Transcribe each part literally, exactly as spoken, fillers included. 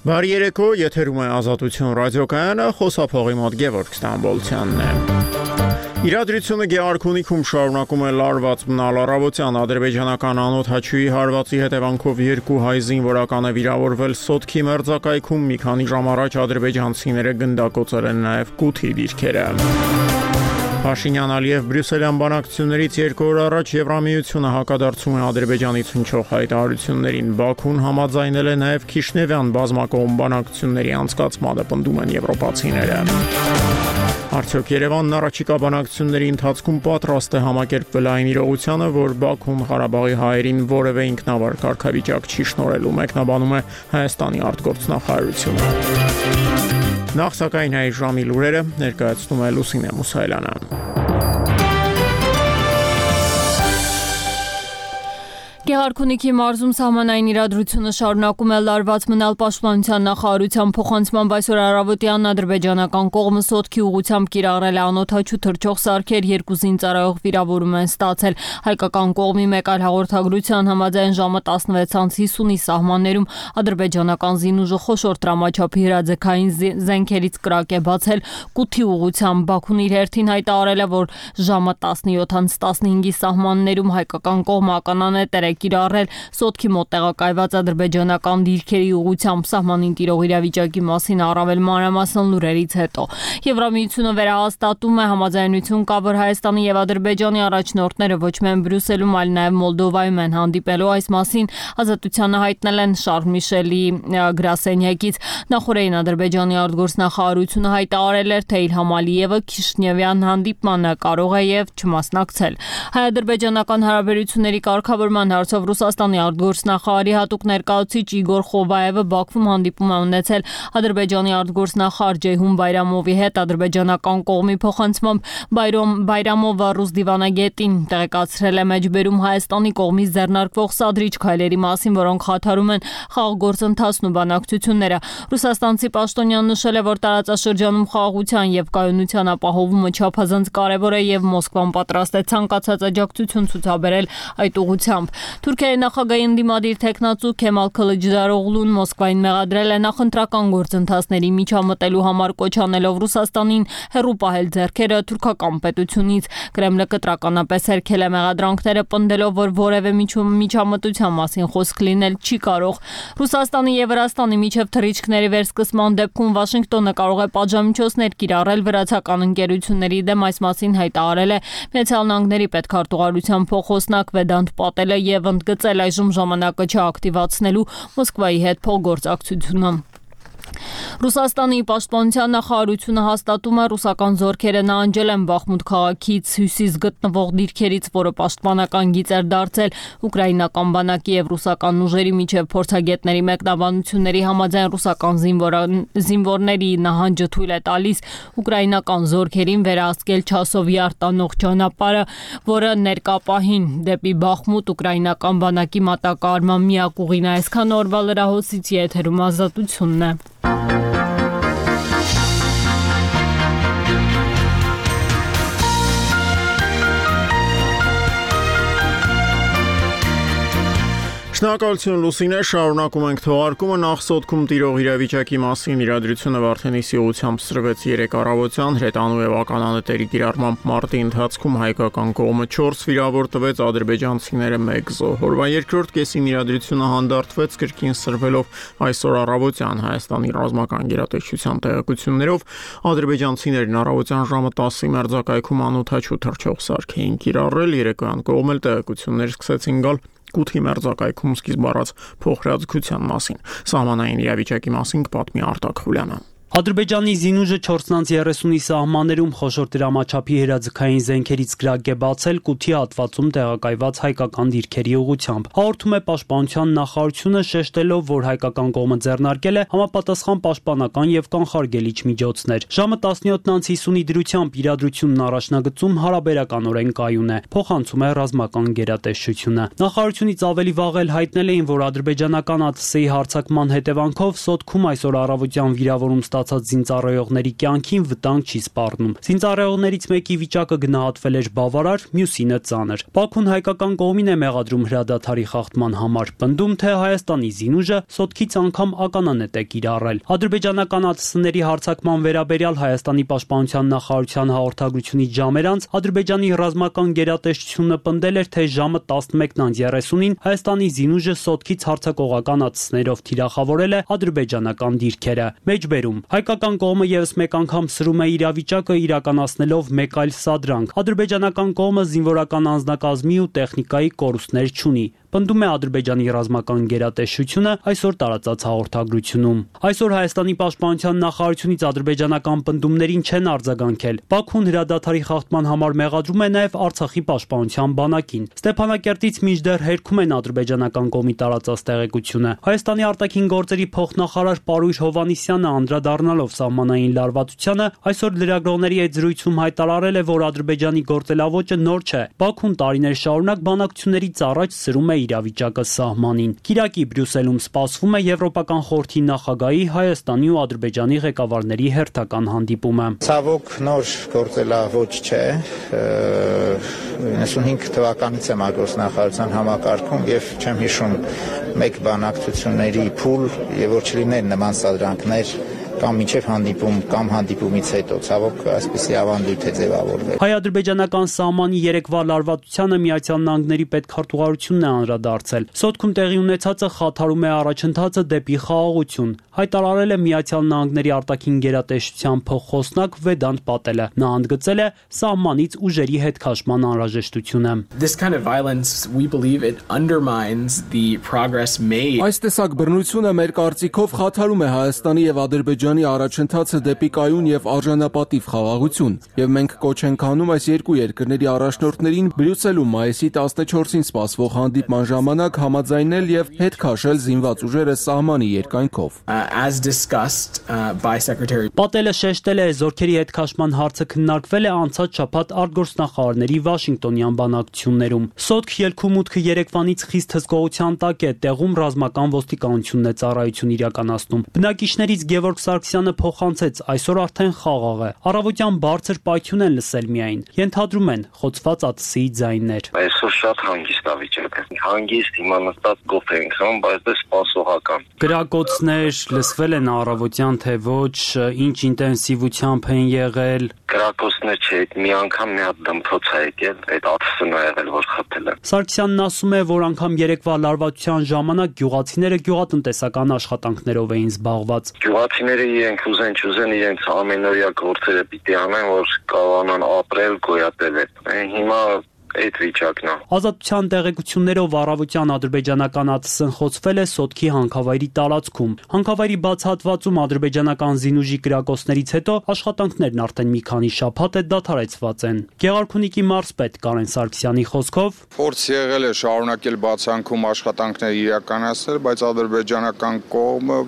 Բարի երեկո, եթերում է Ազատություն ռադիոկայանը, խոսափողի մոտ Գևորգ Ստամբոլցյանն է։ Իրադրությունը Գեղարքունիքում շարունակում է լարված մնալ առավոտյան ադրբեջանական անօդաչուի հարվածի հետևանքով երկու հայ զինվորական է վիրավորվել Սոտքի մերձակայքում, մի քանի ժամ առաջ ադրբեջանցիները գնդակոծել են նաև Կութի դիրքերը։ Փաշինյան-Ալիև Բրյուսելյան բանակցություններից երկու օր առաջ Եվրամիությունը հակադարձում է Ադրբեջանից հնչող հայտարարություններին։ Բաքուն համաձայնել է նաև Քիշնևյան բազմակողմ բանակցությունների անցկացմանը, պնդում են եվրոպացիները։ Արդյոք Երևանն առաջիկա բանակցությունների ընթացքում պատրաստ է համակերպվել այն իրողությանը, որ Բաքուն Ղարաբաղի հայերին որևէ ինքնավար կարգավիճակ չի շնորհելու, մեկնաբանում է Հայաստանի արտգործնախարարությունը։ Նախ սակայն այս ժամի լուրերը ներկայացնում է Լուսինե Մուսայելյանը։ Գեղարքունիքի մարզում սահմանային իրադրությունը շարունակում է լարված մնալ պաշտպանության նախարարության փոխանցմամբ այսօր առավոտյան ադրբեջանական կողմը Սոտքի ուղղությամբ կիրառել է անօդաչու թռչող սարքեր, երկու զինծառայող վիրավորում են ստացել։ Հայկական կողմի մեկ այլ հաղորդագրության համաձայն ժամը տասնվեց հիսունի սահմաններում ադրբեջանական զինուժը խոշոր տրամաչափի հրաձգային զենքերից կրակ է բացել Կութի ուղղությամբ։ Բաքուն իր հերթին հայտարարել է, որ ժամը տասնյոթ տասնհինգի սահմաններում հայկական կողմը ականանետեր կիրառել Սոտքի մոտ տեղակայված ադրբեջանական դիրքերի ուղղությամբ սահմանին տիրող իրավիճակի մասին առավել մանրամասն լուրերից հետո։ Եվրամիությունը վերահաստատում է համաձայնություն կա, որ Հայաստանի եւ Ադրբեջանի առաջնորդները ոչ միայն Բրյուսելում, այլ նաեւ Մոլդովայում են հանդիպելու։ Այս մասին Ազատությանը հայտնել են Շարլ Միշելի գրասենյակից։ Նախորդին Ադրբեջանի արտգործնախարարությունը հայտարարել էր, թե Իլհամ Ալիևը Քիշնևյան հանդիպմանը կարող է եւ չմասնակցել։ Հայ-ադրբեջանական հարաբերությունների կարգավորման հարցով Ռուսաստանի արտգործնախարարի հատուկ ներկայացուցիչ Իգոր Խովայևը Բաքվում հանդիպում է ունեցել Ադրբեջանի արտգործնախարար Ջեյհուն Բայրամովի հետ։ Ադրբեջանական կողմի փոխանցմամբ Բայրամովը ռուս դիվանագետին տեղեկացրել է մեջբերում Հայաստանի կողմից ձեռնարկվող սադրիչ քայլերի մասին, որոնք խաթարում են խաղաղ գործընթացն ու բանակցությունները։ Ռուսաստանցի պաշտոնյան նշել է, որ տարածաշրջանում խաղաղության եւ կայունության ապահովումը չափազանց կարեւոր է եւ Մոսկվան պատրաստ է ցանկացած աջակցություն ցուցաբերել այդ ուղղությամբ։ Թուրքիայի նախագահի ընդդիմադիր տեխնացու Քեմալ Քլիչդարօղլուն Մոսկվային մեղադրել է նախընտրական գործընթացների միջամտելու համար, կոչ անելով Ռուսաստանին հեռու պահել ձեռքերը թուրքական պետությունից։ Կրեմլը կտրականապես հերքել է մեղադրանքները, պնդելով, որ որևէ միջամտության մասին խոսք լինել չի կարող։ Ռուսաստանի եւ Վրաստանի միջև թռիչքների վերսկսման դեպքում Վաշինգտոնը կարող է պատժամիջոցներ կիրառել վրացական ընկերությունների դեմ, այս մասին հայտարարել է Միացյալ Նահանգների պետքարտուղարության փոխոսնակ Վեդանտ Պատելը եւ ընդգծել այժմ ժամանակը չակտիվացնելու Մոսկվայի հետ փոխգործակցությունը։ Ռուսաստանի պաշտպանության նախարարությունը հաստատում է, ռուսական զորքերը նահանջել են Բախմուտ քաղաքից հյուսիս գտնվող դիրքերից, որը պաշտպանական գիծ էր դարձել ուկրաինական բանակի եւ ռուսական ուժերի միջև փորձագետների մեկնաբանությունների համաձայն ռուսական զինվորների նահանջը թույլ է տալիս ուկրաինական զորքերին վերահսկել Չասովի արտանող ճանապարհը, որը ներկա պահին դեպի Բախմուտ ուկրաինական բանակի մատակարարման միակ ուղին է։ Այսքան օրվա լրահոսից եթերում Ազատությունն է։ Շնորհակալություն Լուսինե, շարունակում ենք թողարկումը։ Նախ Սոտքում տիրող իրավիճակի մասին իրադրությունը Վարդենիսի ուղղությամբ սրվեց երեկ առավոտյան հրետանու եւ ականանետերի կիրառմամբ մարտի ընթացքում հայկական կողմը չորս վիրավոր տվեց, ադրբեջանցիները մեկ զոհ։ Օրվա երկրորդ կեսին իրադրությունը հանդարտվեց կրկին սրվելով այսօր առավոտյան Հայաստանի ռազմական գերատեսչության տեղեկություններով ադրբեջանցիներն առավոտյան ժամը տասի մերձակայքում անօդաչու թռչող սարք էին կիրառել, երեկոյան կողմել տեղեկություններ սկսեցին գալ Կութի մերձակայքում սկիզբ առած փոխհրաձգության մասին։ Սահմանային իրավիճակի մասին կպատմի Արտակ Խուլյանը։ Ադրբեջանի զինուժը չորս հիսունի սահմաններում խոշոր դրամաչափի հրաձգային զենքերից կրակ է բացել Կութի հատվածում տեղակայված հայկական դիրքերի ուղղությամբ։ Հաղորդում է պաշտպանության նախարարությունը, շեշտելով, որ հայկական կողմը ձեռնարկել է համապատասխան պաշտպանական եւ կանխարգելիչ միջոցներ։ Ժամը տասնյոթ հիսունի դրությամբ իրադրությունն առաջնագծում հարաբերականորեն կայուն է, փոխանցում է ռազմական գերատեսչությունը։ Նախարարությունից ավելի վաղ էլ հայտնել էին, որ ադրբեջանական ԱԹՍ-ի հարձակման հետևանքով Սոտքում այսօր առավոտյան վիրավորում ստացած զինծառայողների կյանքին վտանգ չի սպառնում։ Զինծառայողներից մեկի վիճակը գնահատվել էր բավարար, մյուսինը ծանր։ Բաքուն հայկական կողմին է մեղադրում հրադադարի խախտման համար, պնդում, թե Հայաստանի զինուժը սոտքից անգամ ականանետ է կիրառել։ Ադրբեջանական ԱԹՍ-ների հարձակման վերաբերյալ Հայաստանի պաշտպանության նախարարության հաղորդագրությունից ժամեր անց Ադրբեջանի ռազմական գերատեսչությունը պնդել էր, թե ժամը տասնմեկն երեսունին Հայաստանի զինուժը սոտքից հարձակողական ԱԹՍ-ներով թիրախավորել է ադրբեջանական դիրքերը։ Մեջբերում հայկական կողմը ևս մեկ անգամ սրում է իրավիճակը իրականացնելով մեկ այլ սադրանք։ Ադրբեջանական կողմը զինվորական անձնակազմի ու տեխնիկայի կորուստներ չունի, պնդում է Ադրբեջանի ռազմական գերատեսչությունը այսօր տարածած հաղորդագրությունում։ Այսօր Հայաստանի պաշտպանության նախարարությունից ադրբեջանական պնդումներին չեն արձագանքել։ Բաքուն հրադադարի խախտման համար մեղադրում է նաև Արցախի պաշտպանության բանակին։ Ստեփանակերտից մինչդեռ հերքում են ադրբեջանական կողմի տարածած տեղեկությունը։ Հայաստանի արտաքին գործերի փոխնախարար Պարույր Հովհաննիսյանը անդրադառնալով սահմանային լարվածությանը այսօր լրագրողների հետ զրույցում հայտարարել է, որ Ադրբեջանի գործելավոճը նոր չէ։ Բաքուն տարիներ շարունակ բանակցություններից առաջ սրում է իրավիճակը սահմանին։ Կիրակի Բրյուսելում սպասվում է Եվրոպական խորհրդի նախագահի Հայաստանի ու Ադրբեջանի ղեկավարների հերթական հանդիպումը։ Ցավոք նոր գործելավոճ չէ։ իննսունհինգ թվականից եմ արտգործնախարարության համակարգում եւ չեմ հիշում մեկ բանակցությունների փուլ եւ որ չլիներ նման սադրանքներ կամ միջև հանդիպում կամ հանդիպումից հետո ցավոք այսպեսի ավանդույթ է ձևավորվել։ Հայ-ադրբեջանական սահմանի երեկվա լարվածությանը Միացյալ Նահանգների պետքարտուղարությունն է անդրադարձել։ Սոտքում տեղի ունեցածը խաթարում է առաջընթացը դեպի խաղաղություն, հայտարարել է Միացյալ Նահանգների արտաքին գերատեսչության փոխխոսնակ Վեդանտ Պատելը։ Նա ընդգծել է սահմանից ուժերի հետ քաշման անհրաժեշտությունը։ This kind of violence, we believe it undermines the progress made. Այս տեսակ բռնությունը մեր կարծիքով խաթարում է Հայաստանի եւ Ադրբեջանի առաջընթացը դեպի կայուն եւ արժանապատիվ խաղաղություն, եւ մենք կոչ ենք անում այս երկու երկրների առաջնորդներին Բրյուսելում մայիսի տասնչորսին սպասվող հանդիպման ժամանակ համաձայնել եւ հետ քաշել զինված ուժերը սահմանի երկայնքով։ As discussed uh, by Secretary Պատելը շեշտել է, զորքերի հետ քաշման հարցը քննարկվել է անցած շաբաթ արտգործնախարարների Վաշինգտոնյան բանակցություններում։ Սոտք ելքու մուտքը Երևանից խիստ հսկողության տակ է, տեղում ռազմական ոստիկանությունն է ծառայություն իրականացնում։ Բնակիչներից Գևորգ Սարգսյանը փոխանցեց, այսօր արդեն խաղաղ է։ Առավոտյան բարձր պայթյուն են լսել միայն։ Ենթադրում են խոցված ԱԹՍ-ի ձայներ։ Այսօր շատ հանգիստ է վիճակը։ Հանգիստ հիմա նստած գոֆ ենք խմում, բայց դա սպասողական։ Կրակոցներ լսվել են առավոտյան, թե ոչ, ինչ ինտենսիվությամբ են եղել։ Կրակոցներ չէ, մի անգամ մի հատ դմփոց է եկել, այդ ԱԹՍ-ն է եղել, որ խփել է։ Սարգսյանն ասում է, որ անգամ երեկվա լարվածության ժամանակ գյուղացիները գյուղատնտեսական աշխատանքներով էին զբաղված։ Գյուղացիները իրենք ուզեն չուզեն իրենց ամենօրյա գործերը պիտի անեն, որ կարողանան ապրել, գոյատել։ Հիմա այդ վիճակն է։ Ազատության տեղեկություններով առավոտյան ադրբեջանական ԱԹՍ-ն խոցվել է Սոտքի հանքավայրի տարածքում։ Հանքավայրի բացահատվածում ադրբեջանական զինուժի կրակոցներից հետո աշխատանքներն արդեն մի քանի շաբաթ է դադարեցված են։ Գեղարքունիքի մարզպետ Կարեն Սարգսյանի խոսքով փորձ եղել է շարունակել բացանքում աշխատանքներ իրականացնել, բայց ադրբեջանական կողմը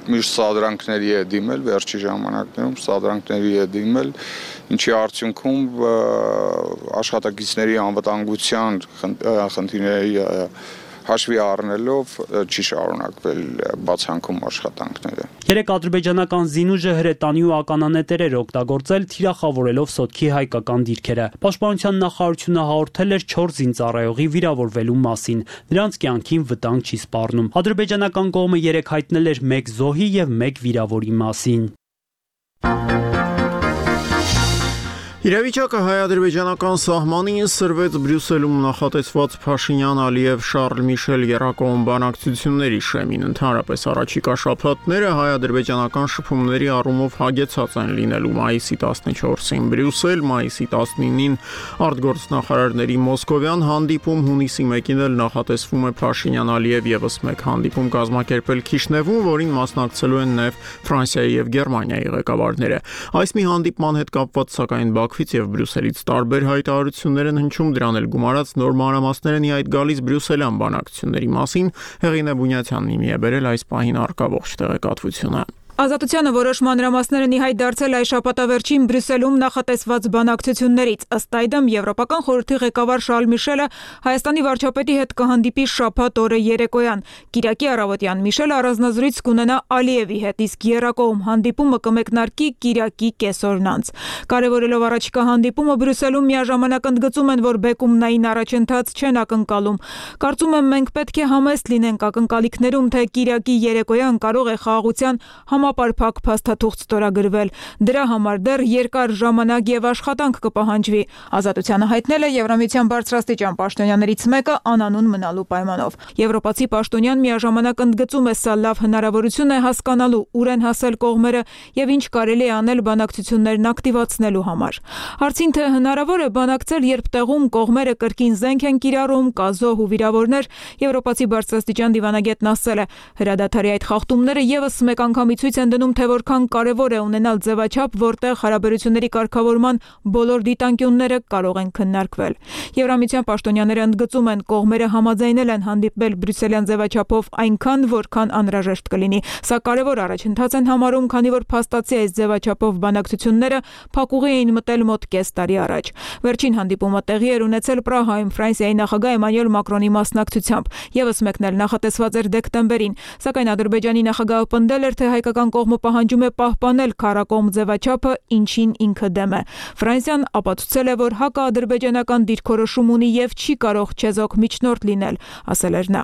միշտ սադրանքների է դիմել, վերջի ժամանակներում սադրանքների է դիմել, ինչի արդյունքում աշխատակիցների անվտանգության խնդիրների հաշվի առնելով չի շարունակվել բացանքում աշխատանքները։ Երեք ադրբեջանական զինուժը հրետանի ու ականանետեր էր օգտագործել թիրախավորելով Սոտքի հայկական դիրքերը։ Պաշտպանության նախարարությունը հաղորդել էր չորս զինծառայողի վիրավորվելու մասին։ Նրանց կյանքին վտանգ չի սպառնում։ Ադրբեջանական կողմը երեք հայտնել էր մեկ զոհի եւ մեկ վիրավորի մասին։ Իրավիճակը հայ-ադրբեջանական սահմանին սրվեց Բրյուսելում նախատեսված Փաշինյան-Ալիև-Շարլ Միշել եռակողմ բանակցությունների շեմին։ Ընդհանրապես առաջիկա շաբաթները հայ-ադրբեջանական շփումների առումով հագեցած են լինելու մայիսի տասնչորսին Բրյուսել, մայիսի տասնինին արտգործնախարարների Մոսկովյան հանդիպում, հունիսի մեկին էլ նախատեսվում է Փաշինյան-Ալիև եւս մեկ հանդիպում կազմակերպել Քիշնևում, որին մասնակցելու են նաեւ Ֆրանսիայի եւ Գերմանիայի ղեկավարները։ Այս մի հանդիպման հետ կապված սակայն Բաքվից եւ Բրյուսելից տարբեր հայտարարություններ են հնչում, դրան էլ գումարած նոր մանրամասներ են իհայտ գալիս բրյուսելյան բանակցությունների մասին։ Հեղինե Բունյացյանն իմի է բերել այս պահին առկա ողջ տեղեկատվությունը։ Ազատությանը որոշ մանրամասներ են ի հայտ դարձել այս շաբաթավերջին Բրյուսելում նախատեսված բանակցություններից։ Ըստ այդմ Եվրոպական խորհրդի ղեկավար Շարլ Միշելը Հայաստանի վարչապետի հետ կհանդիպի շաբաթ օրը երեկոյան։ Կիրակի առավոտյան Միշելը առանձնազրույց կունենա Ալիևի հետ, իսկ եռակողմ հանդիպումը կմեկնարկի Կիրակի կեսօրն անց։ Կարևորելով առաջիկա հանդիպումը Բրյուսելում միաժամանակ ընդգծում են, որ բեկումնային առաջընթաց չեն ակնկալում։ Կարծում եմ մենք պետք է համեստ լինենք ակնկալիքներում, թե Կիրակի երեկոյան կարող է խաղաղության համապարփակ փաստաթուղթ ստորագրվել։ Դրա համար դեռ երկար ժամանակ եւ աշխատանք կպահանջվի։ Ազատությանը հայտնել է Եվրամիության բարձրաստիճան պաշտոնյաներից մեկը անանուն մնալու պայմանով։ Եվրոպացի պաշտոնյան միաժամանակ ընդգծում է, սա լավ հնարավորություն է հասկանալու ուր են հասել կողմերը եւ ինչ կարելի է անել բանակցություններն ակտիվացնելու համար։ Հարցին թե հնարավոր է բանակցել, երբ տեղում կողմերը կրկին զենք են կիրառում, կա զոհ ու վիրավորներ, Եվրոպացի բարձրաստիճան դիվանագետն ասել է, հրադադարի այդ խախտումները եւս մեկ անգամի ցույց են դնում, թե որքան կարևոր է ունենալ ձևաչափ, որտեղ հարաբերությունների կարգավորման բոլոր դիտանկյունները կարող են քննարկվել։ Եվրամիության պաշտոնյաները ընդգծում են, կողմերը համաձայնել են հանդիպել բրյուսելյան ձևաչափով այնքան, որքան անհրաժեշտ կլինի։ Սա կարևոր առաջընթաց են համարում, քանի որ փաստացի այս ձևաչափով բանակցությունները փակուղի էին մտել մոտ կես տարի առաջ։ Վերջին հանդիպումը տեղի էր ունեցել Պրահայում Ֆրանսիայի նախագահ Էմանուել Մակրոնի մասնակցությամբ։ Եվս մեկն էլ նախատեսված էր դեկտեմբերին, սակայն Ադրբեջանի նախագահը պնդել էր, թե հայկական կողմը պահանջում է պահպանել քարակողմ ձևաչափը, ինչին ինքը դեմ է։ Ֆրանսիան ապացուցել է, որ հակաադրբեջանական դիրքորոշում ունի եւ չի կարող չեզոք միջնորդ լինել, ասել էր նա։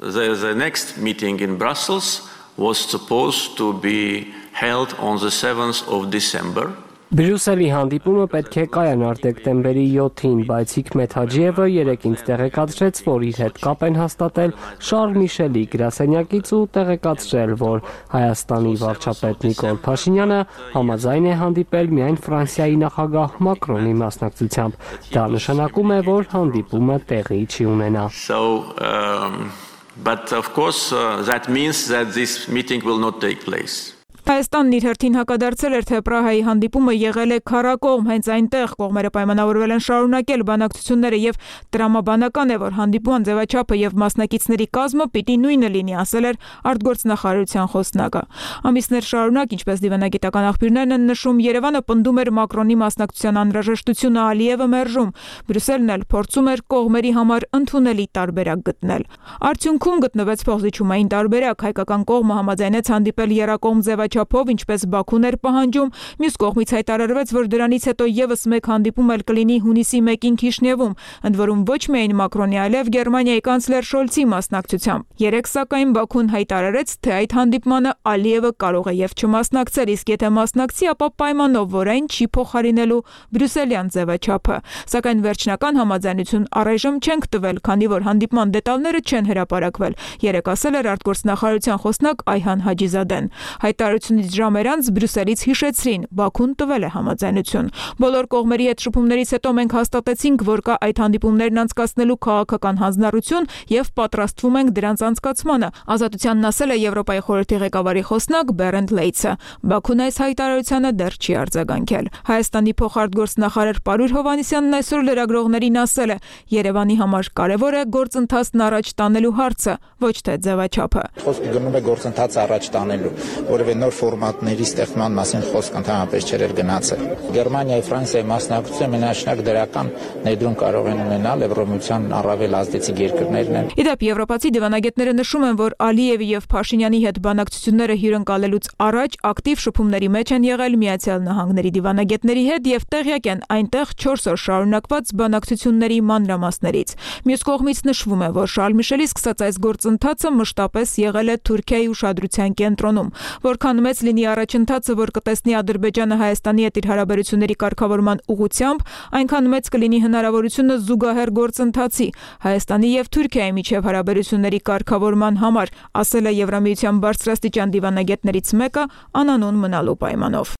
The, the next meeting in Brussels was supposed to be held on the seventh of December. Բրյուսելի հանդիպումը պետք է կայանար դեկտեմբերի յոթին, բայց Հիկմեթ Հաջիևը երեկ ինձ տեղեկացրեց, որ իր հետ կապ են հաստատել Շարլ Միշելի գրասենյակից ու տեղեկացրել, որ Հայաստանի վարչապետ Նիկոլ Փաշինյանը համաձայն է հանդիպել միայն Ֆրանսիայի նախագահ Մակրոնի մասնակցությամբ։ Դա նշանակում է, որ հանդիպումը տեղի չի ունենա։ So, um, but of course uh, that means that this meeting will not take place. Հայաստանն իր հերթին հակադարձել էր, թե Պրահայի հանդիպումը եղել է քարակողմ, հենց այնտեղ կողմերը պայմանավորվել են շարունակել բանակցությունները եւ տրամաբանական է, որ հանդիպման ձևաչափը եւ մասնակիցների կազմը պիտի նույնը լինի, ասել էր արտգործնախարարության խոսնակը։ Ամիսներ շարունակ, ինչպես դիվանագիտական աղբյուրներն են նշում, Երևանը պնդում էր Մակրոնի մասնակցության անհրաժեշտությունը, Ալիևը մերժում։ Բրյուսելն էլ փորձում էր կողմերի համար ընդունելի տարբերակ գտնել։ Արդյունքում գտնվեց փոխզիջումային տարբերակ, հայկական կողմը համաձայնեց հանդիպել եռակողմ ձևաչափով, ինչպես Բաքուն էր պահանջում, մյուս կողմից հայտարարվեց, որ դրանից հետո եւս մեկ հանդիպում էլ կլինի հունիսի մեկին Քիշնևում, ընդ որում ոչ միայն Մակրոնի, այլև Գերմանիայի կանցլեր Շոլցի մասնակցությամբ։ Երեք սակայն Բաքուն հայտարարեց, թե այդ հանդիպմանը Ալիևը կարող է եւ չմասնակցել, իսկ եթե մասնակցի, ապա պայմանով, որ այն չի փոխարինելու բրյուսելյան ձևաչափը։ Սակայն վերջնական համաձայնություն առայժմ չենք տվել, քանի որ հանդիպման դետալները չեն հրապարակվել, երեք ասել էր արտգործնախարարության խոսնակ Այհան Հաջիզադեն։ Հայտարարությունից ժամեր անց Բրյուսելից հիշեցրին, Բաքուն տվել է համաձայնություն։ Բոլոր կողմերի հետ շփումներից հետո մենք հաստատեցինք, որ կա այդ հանդիպումներն անցկացնելու քաղաքական հանձնառություն եւ պատրաստվում ենք դրանց անցկացմանը, ազատությանն ասել է Եվրոպայի խորհրդի ղեկավարի խոսնակ Բերենդ Լեյցը։ Բաքուն այս հայտարարությանը դեռ չի արձագանքել։ Հայաստանի փոխարտգործնախարար Պարույր Հովհաննիսյանն այսօր լրագրողներին ասել է. Երևանի համար կարևոր է գործընթացն առաջ տանելու հարցը, ոչ թե ձևաչափը։ Խոսքը գնում է գործընթացը առաջ տանելու, որովհետեւ նոր ֆորմատների ստեղծման մասին խոսք ընդհանրապես չէր գնացել։ Գերմանիայի, Ֆրանսիայի մասնակցությունը մենաշնորհ դրական ներդրում կարող են ունենալ Եվրոմիության առավել ազդեցիկ երկրներն են։ Իդեպ եվրոպացի դիվանագետները նշում են, որ Ալիևի եւ Փաշինյանի հետ բանակցությունները հյուրընկալելուց առաջ ակտիվ շփումների մեջ են եղել Միացյալ Նահանգների դիվանագետների հետ եւ տեղյակ են այնտեղ չորս օր շարունակված բանակցությունների մանրամասներից։ Մյուս կողմից նշվում է, որ Շարլ Միշելի սկսած այս գործընթացը մշտապես եղել է Թուրքիայի ուշադրության կենտրոնում։ Որքան մեծ լինի առաջընթացը, որ կտեսնի Ադրբեջանը Հայաստանի հետ իր հարաբերությունների կարգավորման ուղղությամբ, այնքան մեծ կլինի հնարավորությունը զուգահեռ գործընթացի Հայաստանի եւ Թուրքիայի միջև հարաբերությունների կարգավորման համար, ասել է Եվրամիության բարձրաստիճան դիվանագետներից մեկը անանուն մնալու պայմանով։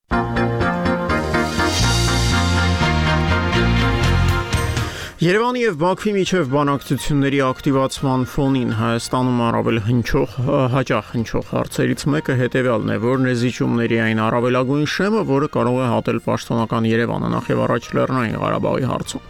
Երևանի եւ Բաքվի միջև բանակցությունների ակտիվացման ֆոնին Հայաստանում առավել հնչող հաճախ հնչող հարցերից մեկը հետեւյալն է, որն է զիջումների այն առավելագույն շեմը, որը կարող է հատել պաշտոնական Երևանը նախ եւ առաջ Լեռնային Ղարաբաղի հարցում։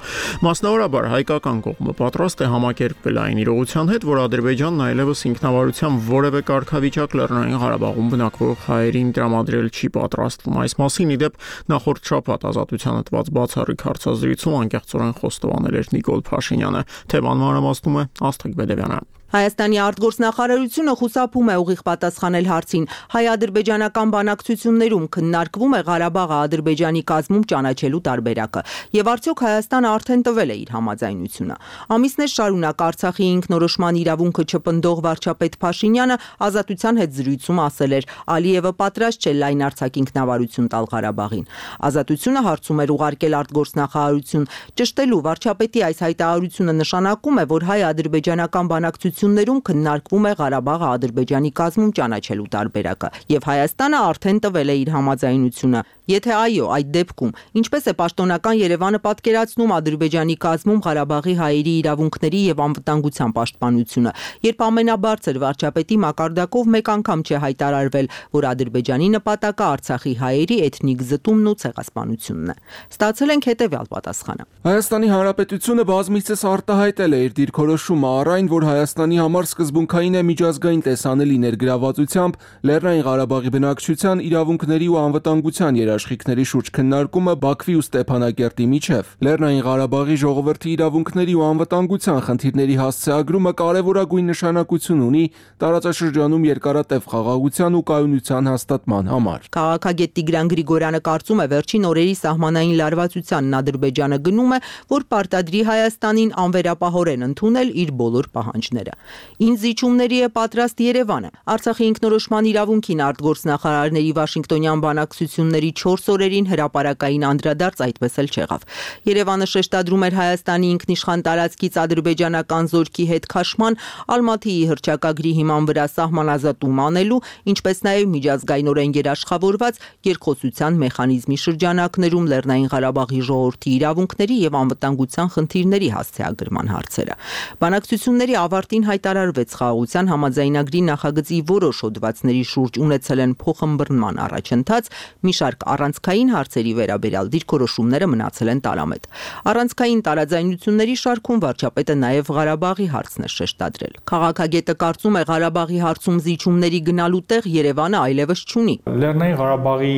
Մասնավորաբար հայկական կողմը պատրաստ է համակերպվել այն իրողության հետ, որ Ադրբեջանն այլևս ինքնավարության որևէ կարգավիճակ Լեռնային Ղարաբաղում բնակվող հայերին տրամադրել չի պատրաստվում։ Այս մասին իդեպ նախորդ շաբաթ Ազատությանը տված բացառիկ հարցազրույցում անկեղծորեն խոստովանել Նիկոլ Փաշինյանը, թեման մանրամասնում է Աստղիկ Բեդևյանը։ Հայաստանի արտգործնախարարությունը խուսափում է ուղիղ պատասխանել հարցին հայ-ադրբեջանական բանակցություններում քննարկվում է Ղարաբաղը Ադրբեջանի կազմում ճանաչելու տարբերակը եւ արդյոք Հայաստանը արդեն տվել է իր համաձայնությունը։ Ամիսներ շարունակ Արցախի ինքնորոշման իրավունքը չպնդող վարչապետ Փաշինյանը Ազատության հետ զրույցում ասել էր Ալիևը պատրաստ չէ լայն արձակ ինքնավարություն տալ Ղարաբաղին։ Ազատությունը հարցում էր ուղարկել արտգործնախարարություն ճշտելու վարչապետի այս հայտարարությունը նշանակում է, որ հայ-ադրբեջանական բանակցությունները ում քննարկվում է Ղարաբաղը Ադրբեջանի կազմում ճանաչելու տարբերակը եւ Հայաստանը արդեն տվել է իր համաձայնությունը։ Եթե այո, այդ դեպքում ինչպես է պաշտոնական Երևանը պատկերացնում Ադրբեջանի կազմում Ղարաբաղի հայերի իրավունքների եւ անվտանգության պաշտպանությունը, երբ ամենաբարձր վարչապետի մակարդակով մեկ անգամ չէ հայտարարվել, որ Ադրբեջանի նպատակը Արցախի հայերի էթնիկ զտումն ու ցեղասպանությունն է։ Ստացել ենք հետեւյալ պատասխանը։ Հայաստանի Հանրապետությունը բազմիցս արտահայտել է իր դիրքորոշումը առ այն, որ Հայաստանի համար սկզբունքային է միջազգային տեսանելի ներգրավվածությամբ Լեռնային Ղարաբաղի բնակչության իրավունքների ու անվտանգության երաշխիքների շուրջ քննարկումը Բաքվի ու Ստեփանակերտի միջև։ Լեռնային Ղարաբաղի ժողովրդի իրավունքների ու անվտանգության խնդիրների հասցեագրումը կարևորագույն նշանակություն ունի տարածաշրջանում երկարատև խաղաղության ու կայունության հաստատման համար։ Քաղաքագետ Տիգրան Գրիգորյանը կարծում է վերջին օրերի սահմանային լարվածությանն Ադրբեջանը գնում է, որ պարտադրի Հայաստանին անվերապահորեն ընդունել իր բոլոր պահանջները։ Ինչ զիջումների է պատրաստ Երևանը։ Արցախի ինքնորոշման իրավունքին արտգործնախարարների Վաշինգտոնյան բանակցությունների չորս օրերին հրապարակային անդրադարձ այդպես էլ չեղավ։ Երևանը շեշտադրում էր Հայաստանի ինքնիշխան տարածքից ադրբեջանական զորքի հետ քաշման Ալմաթիի հռչակագրի հիման վրա սահմանազատում անելու, ինչպես նաև միջազգայինորեն երաշխավորված երկխոսության մեխանիզմի շրջանակներում Լեռնային Ղարաբաղի ժողովրդի իրավունքների եւ անվտանգության խնդիրների հասցեագրման հարցերը։ Բանակցությունների ավարտին հայտարարվեց խաղաղության համաձայնագրի նախագծի որոշ հոդվածների շուրջ ունեցել են փոխըմբռնման առաջընթաց, մի շարք առանցքային հարցերի վերաբերյալ դիրքորոշումները մնացել են տարամետ։ Առանցքային տարաձայնությունների շարքում վարչապետը նաև Ղարաբաղի հարցն է շեշտադրել։ Քաղաքագետը կարծում է Ղարաբաղի հարցում զիջումների գնալու տեղ Երևանը այլևս չունի։ Լեռնային Ղարաբաղի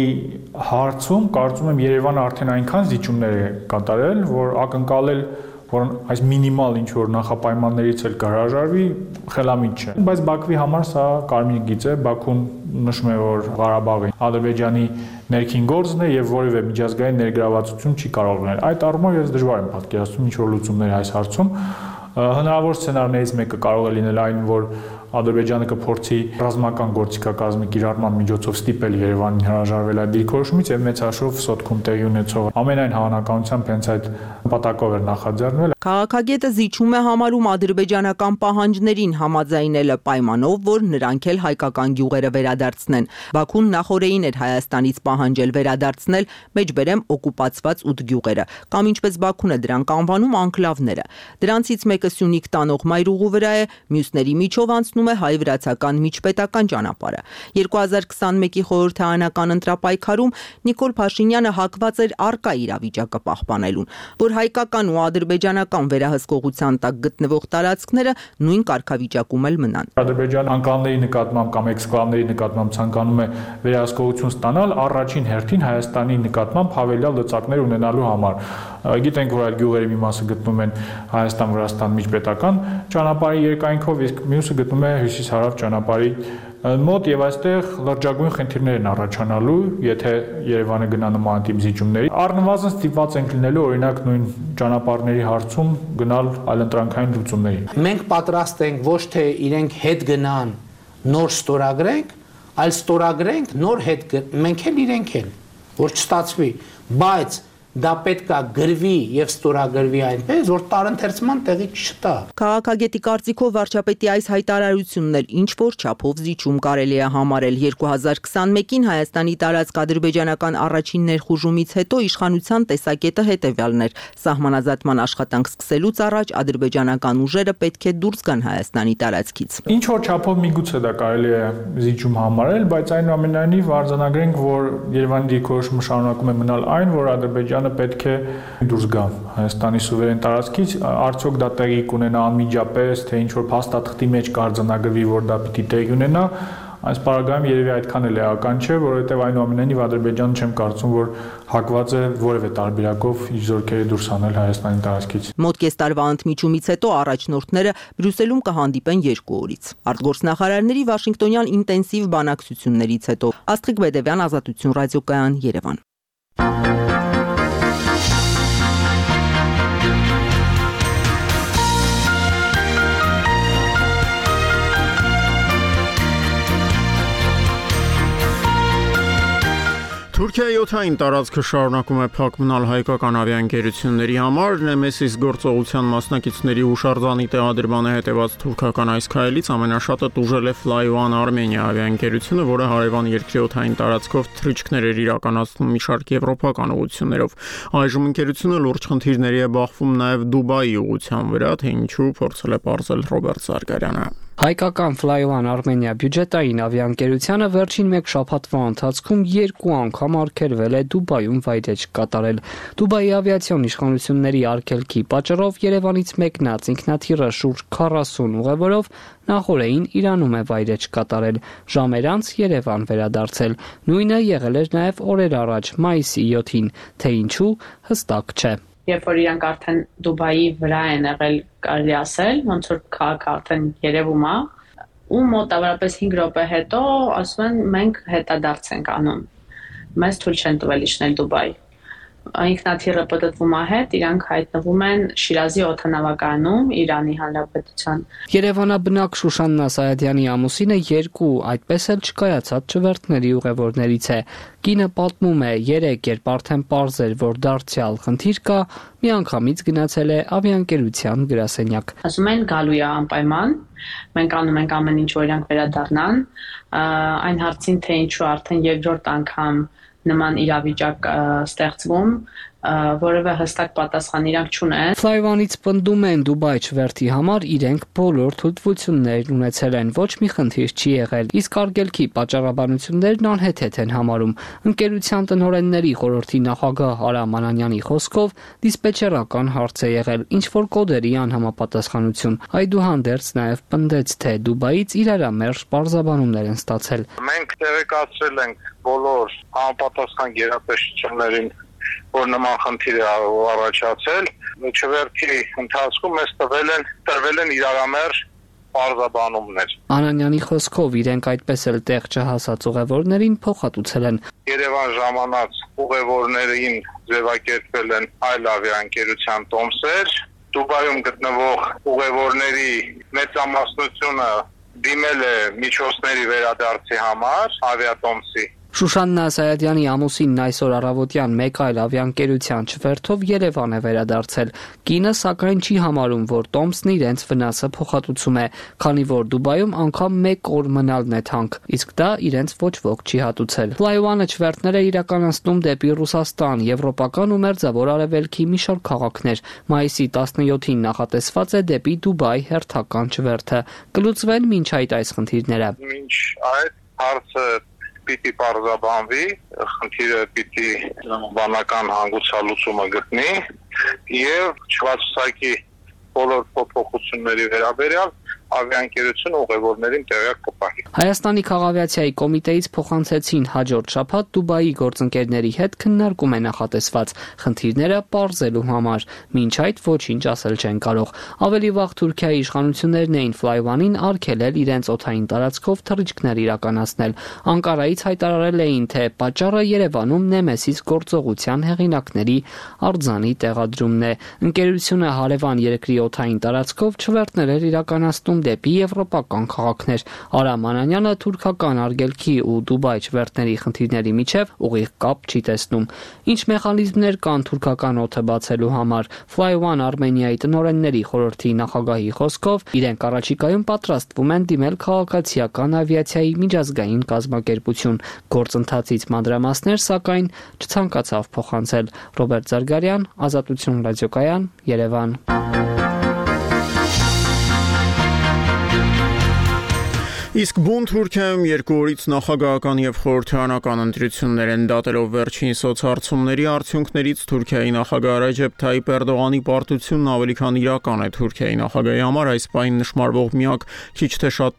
հարցում կարծում եմ Երևանը արդեն այնքան զիջումներ է կատարել, որ ակնկալել որ այս մինիմալ ինչ որ նախապայմաններից էլ կհրաժարվի խելամիտ չէ։ Բայց Բաքվի համար սա կարմիր գիծ է, Բաքուն նշում է, որ Ղարաբաղը Ադրբեջանի ներքին գործն է եւ որևէ միջազգային ներգրավվածություն չի կարող լինել։ Այդ առումով ես դժվար եմ պատկերացնում ինչ որ լուծումներ այս հարցում։ Հնարավոր սցենարներից մեկը կարող է լինել այն, որ Ադրբեջանը կփորձի ռազմական գործիքակազմի կիրառման միջոցով ստիպել Երևանին հրաժարվել այդ դիրքորոշումից եւ մեծ հաշվով Սոտքում տեղի ունեցող ամենայն հավանականությամբ հենց այդ նպատակով էր նախաձեռնվել։ Քաղաքագետը զիջում է համարում ադրբեջանական պահանջներին համաձայնելը պայմանով, որ նրանք էլ հայկական գյուղերը վերադարձնեն։ Բաքուն նախորդին էր Հայաստանից պահանջել վերադարձնել մեջբերեմ օկուպացված ութ գյուղերը, կամ ինչպես Բաքուն է դրանք անվանում անկլավները։ Դրանցից մեկը Սյունիք տանող մայրուղու վրա է, մյուսների միջով անցնում է հայ-վրացական միջպետական ճանապարհը։ երկու հազար քսաներկի խորհրդարանական ընտրապայքարում Նիկոլ Փաշինյանը հակված էր առկա իրավիճակը պահպանելուն, որ հայկական ու ադրբեջանական վերահսկողության տակ գտնվող տարածքները նույն կարգավիճակում էլ մնան։ Ադրբեջանը անկալների նկատմամբ կամ էքսկլավների նկատմամբ ցանկանում է վերահսկողություն ստանալ առաջին հերթին Հայաստանի նկատմամբ հավելյալ լծակներ ունենալու համար։ Գիտենք, որ այդ գյուղերի մի մասը գտնվում են Հայաստան-Վրաստան միջպետական ճանապարհի երկայնքով, իսկ մյուսը գտնվում է հյուսիս-հարավ ճանապարհի մոտ եւ այստեղ լրջագույն խնդիրներ են առաջանալու, եթե Երևանը գնա նման տիպ զիջումների։ Առնվազն ստիպված ենք լինելու օրինակ նույն ճանապարհների հարցում գնալ այլընտրանքային լուծումների։ Մենք պատրաստ ենք ոչ թե իրենք հետ գնան, նոր ստորագրենք, այլ ստորագրենք, նոր հետ մենք էլ իրենք էլ, որ չստացվի, բայց դա պետք է գրվի եւ ստորագրվի այնպես, որ տարընթերցման տեղի չտա։ Քաղաքագետի կարծիքով վարչապետի այս հայտարարությունն էլ ինչ որ չափով զիջում կարելի է համարել երկու հազար քսանմեկին Հայաստանի տարածք ադրբեջանական առաջին ներխուժումից հետո իշխանության տեսակետը հետևյալն էր. սահմանազատման աշխատանք սկսելուց առաջ ադրբեջանական ուժերը պետք է դուրս գան Հայաստանի տարածքից։ Ինչ որ չափով միգուցե դա կարելի է զիջում համարել, բայց այնուամենայնիվ արձանագրենք, որ Երևանի դիրքորոշումը շարունակում է մնալ այն, որ Ադրբեջանը պետք է դուրս գա Հայաստանի սուվերեն տարածքից, արդյոք դա տեղի կունենա անմիջապես, թե ինչ որ փաստաթղթի մեջ կարձանագրվի, որ դա պիտի տեղի ունենա, այս պարագայում երևի այդքան էլ էական չէ, որովհետև այնուամենայնիվ Ադրբեջանը չեմ կարծում, որ հակված է որևէ տարբերակով իր զորքերը դուրս հանել Հայաստանի տարածքից։ Մոտ կես տարվա ընդմիջումից հետո առաջնորդները Բրյուսելում կհանդիպեն երկու օրից։ Արտգործնախարարների Վաշինգտոնյան ինտենսիվ բանակցություններից հետո Աստղիկ Բեդևյան, Ազատություն ռադիոկայան, Երևան։ Թուրքիայի օդային տարածքը շարունակում է փակ մնալ հայկական ավիաընկերությունների համար, Նեմեսիս գործողության մասնակիցների հուշարձանի տեղադրմանը հետևած թուրքական այս քայլից ամենաշատը տուժել է Fly-One Armenia ավիաընկերությունը, որը հարևան երկրի օդային տարածքով թռիչքներ էր իրականացնում մի շարք եվրոպական ուղղություններով։ Այժմ ընկերությունը լուրջ խնդիրների է բախվում նաև Դուբայի ուղղության վրա, թե ինչու փորձել է պարզել Ռոբերտ Զարգարյանը։ Հայկական Fly-One Armenia բյուջետային ավիաընկերությունը վերջին մեկ շաբաթվա ընթացքում երկու անգամ արգելվել է Դուբայում վայրէջք կատարել։ Դուբայի ավիացիոն իշխանությունների արգելքի պատճառով Երևանից մեկնած ինքնաթիռը շուրջ քառասուն ուղևորով նախորդին Իրանում է վայրէջք կատարել, ժամեր անց Երևան վերադարձել։ Նույնը եղել էր նաև օրեր առաջ, մայիսի յոթին, թե ինչու հստակ չէ։ Երբ որ իրանք արդեն Դուբայի վրա են եղել, կարելի ասել, ոնց որ քաղաքը արդեն երևում է, ու մոտավորապես հինգ րոպե հետո ասում են մենք հետադարձ ենք անում։ Մեզ թույլ չեն տվել իջնել Դուբայ։ Ինքնաթիռը պատտվում է հետ, իրանք հայտնվում են Շիրազի օդանավակայանում Իրանի Հանրապետության։ Երևանաբնակ Շուշաննա Սայադյանի ամուսինը երկու այդպես էլ չկայացած չվերթների ուղևորներից է։ Կինը պատմում է, երեք երբ արդեն պարզ էր, որ դարձյալ խնդիր կա, միանգամից գնացել է ավիաընկերության գրասենյակ։ Ասում են գալու է անպայման, մենք անում ենք ամեն ինչ, որ իրանք վերադառնան, այն հարցին, թե ինչու արդեն երկրորդ անգամ նման իրավիճակ ստեղծվում, որևէ հստակ պատասխան իրանք չունեն։ Fly-One-ից պնդում են Դուբայ չվերթի համար իրենք բոլոր թույլտվություններն ունեցել են, ոչ մի խնդիր չի եղել, իսկ արգելքի պատճառաբանություններն անհեթեթ են համարում։ Ընկերության տնօրենների խորհրդի նախագահ Արամ Անանյանի խոսքով դիսպեչերական հարց է եղել, ինչ որ կոդերի անհամապատասխանություն։ Այդուհանդերձ նաև պնդեց, թե Դուբայից իրարամերժ պարզաբանումներ են ստացել։ Մենք տեղեկացրել ենք բոլոր համապատասխան գերատեսչություններին, որ նման խնդիր է առաջացել, չվերթի ընթացքում մեզ տվել են տրվել են իրարամերժ պարզաբանումներ։ Անանյանի խոսքով իրենք այդպես էլ տեղ չհասած ուղևորներին փոխհատուցել են։ Երևան ժամանած ուղևորներին ձևակերպել են այլ ավիաընկերության տոմսեր, Դուբայում գտնվող ուղևորների մեծամասնությունը դիմել է միջոցների վերադարձի համար ավիատոմսի։ Շուշաննա Սայադյանի ամուսինն այսօր առավոտյան մեկ այլ ավիաընկերության չվերթով Երևան է վերադարձել։ Կինը սակայն չի համարում, որ տոմսն իրենց վնասը փոխհատուցում է, քանի որ Դուբայում անգամ մեկ օր մնալն է թանկ, իսկ դա իրենց ոչ ոք չի հատուցել։ Fly-One-ը չվերթներ է իրականացնում դեպի Ռուսաստան, Եվրոպական ու Մերձավոր Արևելքի մի շարք քաղաքներ։ Մայիսի տասնյոթին նախատեսված է դեպի Դուբայ հերթական չվերթը։ Կլուծվեն մինչ այդ այս խնդիրները։ Մինչ այդ հարցը պիտի պարզաբանվի, խնդիրը պիտի բանական հանգուցալուծումը գտնի եւ չվացուցակի բոլոր փոփոխությունների վերաբերյալ ավիաընկերությունը ուղևորներին տեղյակ կպահի։ Հայաստանի քաղավիացիայի կոմիտեից փոխանցեցին հաջորդ շաբաթ Դուբայի գործընկերների հետ քննարկում է նախատեսված խնդիրները պարզելու համար, մինչ այդ ոչինչ ասել չեն կարող։ Ավելի վաղ Թուրքիայի իշխանություններն էին Fly-One-ին արգելել իրենց օդային տարածքով թռիչքներ իրականացնել։ Անկարայից հայտարարել էին, թե պատճառը Երևանում Նեմեսիս գործողության հեղինակների արձանի տեղադրումն է։ Ընկերությունը հարևան երկրի օդային տարածքով չվերթներ էր իրականացնում դեպի եվրոպական քաղաքներ։ Արամ Անանյանը թուրքական արգելքի ու Դուբայ չվերթների խնդիրների միջև ուղիղ կապ չի տեսնում։ Ինչ մեխանիզմներ կան թուրքական օդը բացելու համար։ Fly One Armenia-ի տնօրենների խորհրդի նախագահի խոսքով իրենք առաջիկայում պատրաստվում են դիմել քաղաքացիական ավիացիայի միջազգային կազմակերպություն։ Գործընթացից մանրամասներ, սակայն չցանկացավ փոխանցել։ Ռոբերտ Զարգարյան, Ազատություն ռադիոկայան, Երևան։ Իսկ բուն Թուրքիայում երկու օրից նախագահական եւ խորհրդարանական ընտրություններ են դատելով վերջին սոցհարցումների արդյունքներից Թուրքիայի նախագահ Ռեջեփ Թայիփ Էրդողանի պարտությունն ավելի քան իրական է Թուրքիայի նախագահի համար այս պահին նշмарվող միակ քիչ թե շատ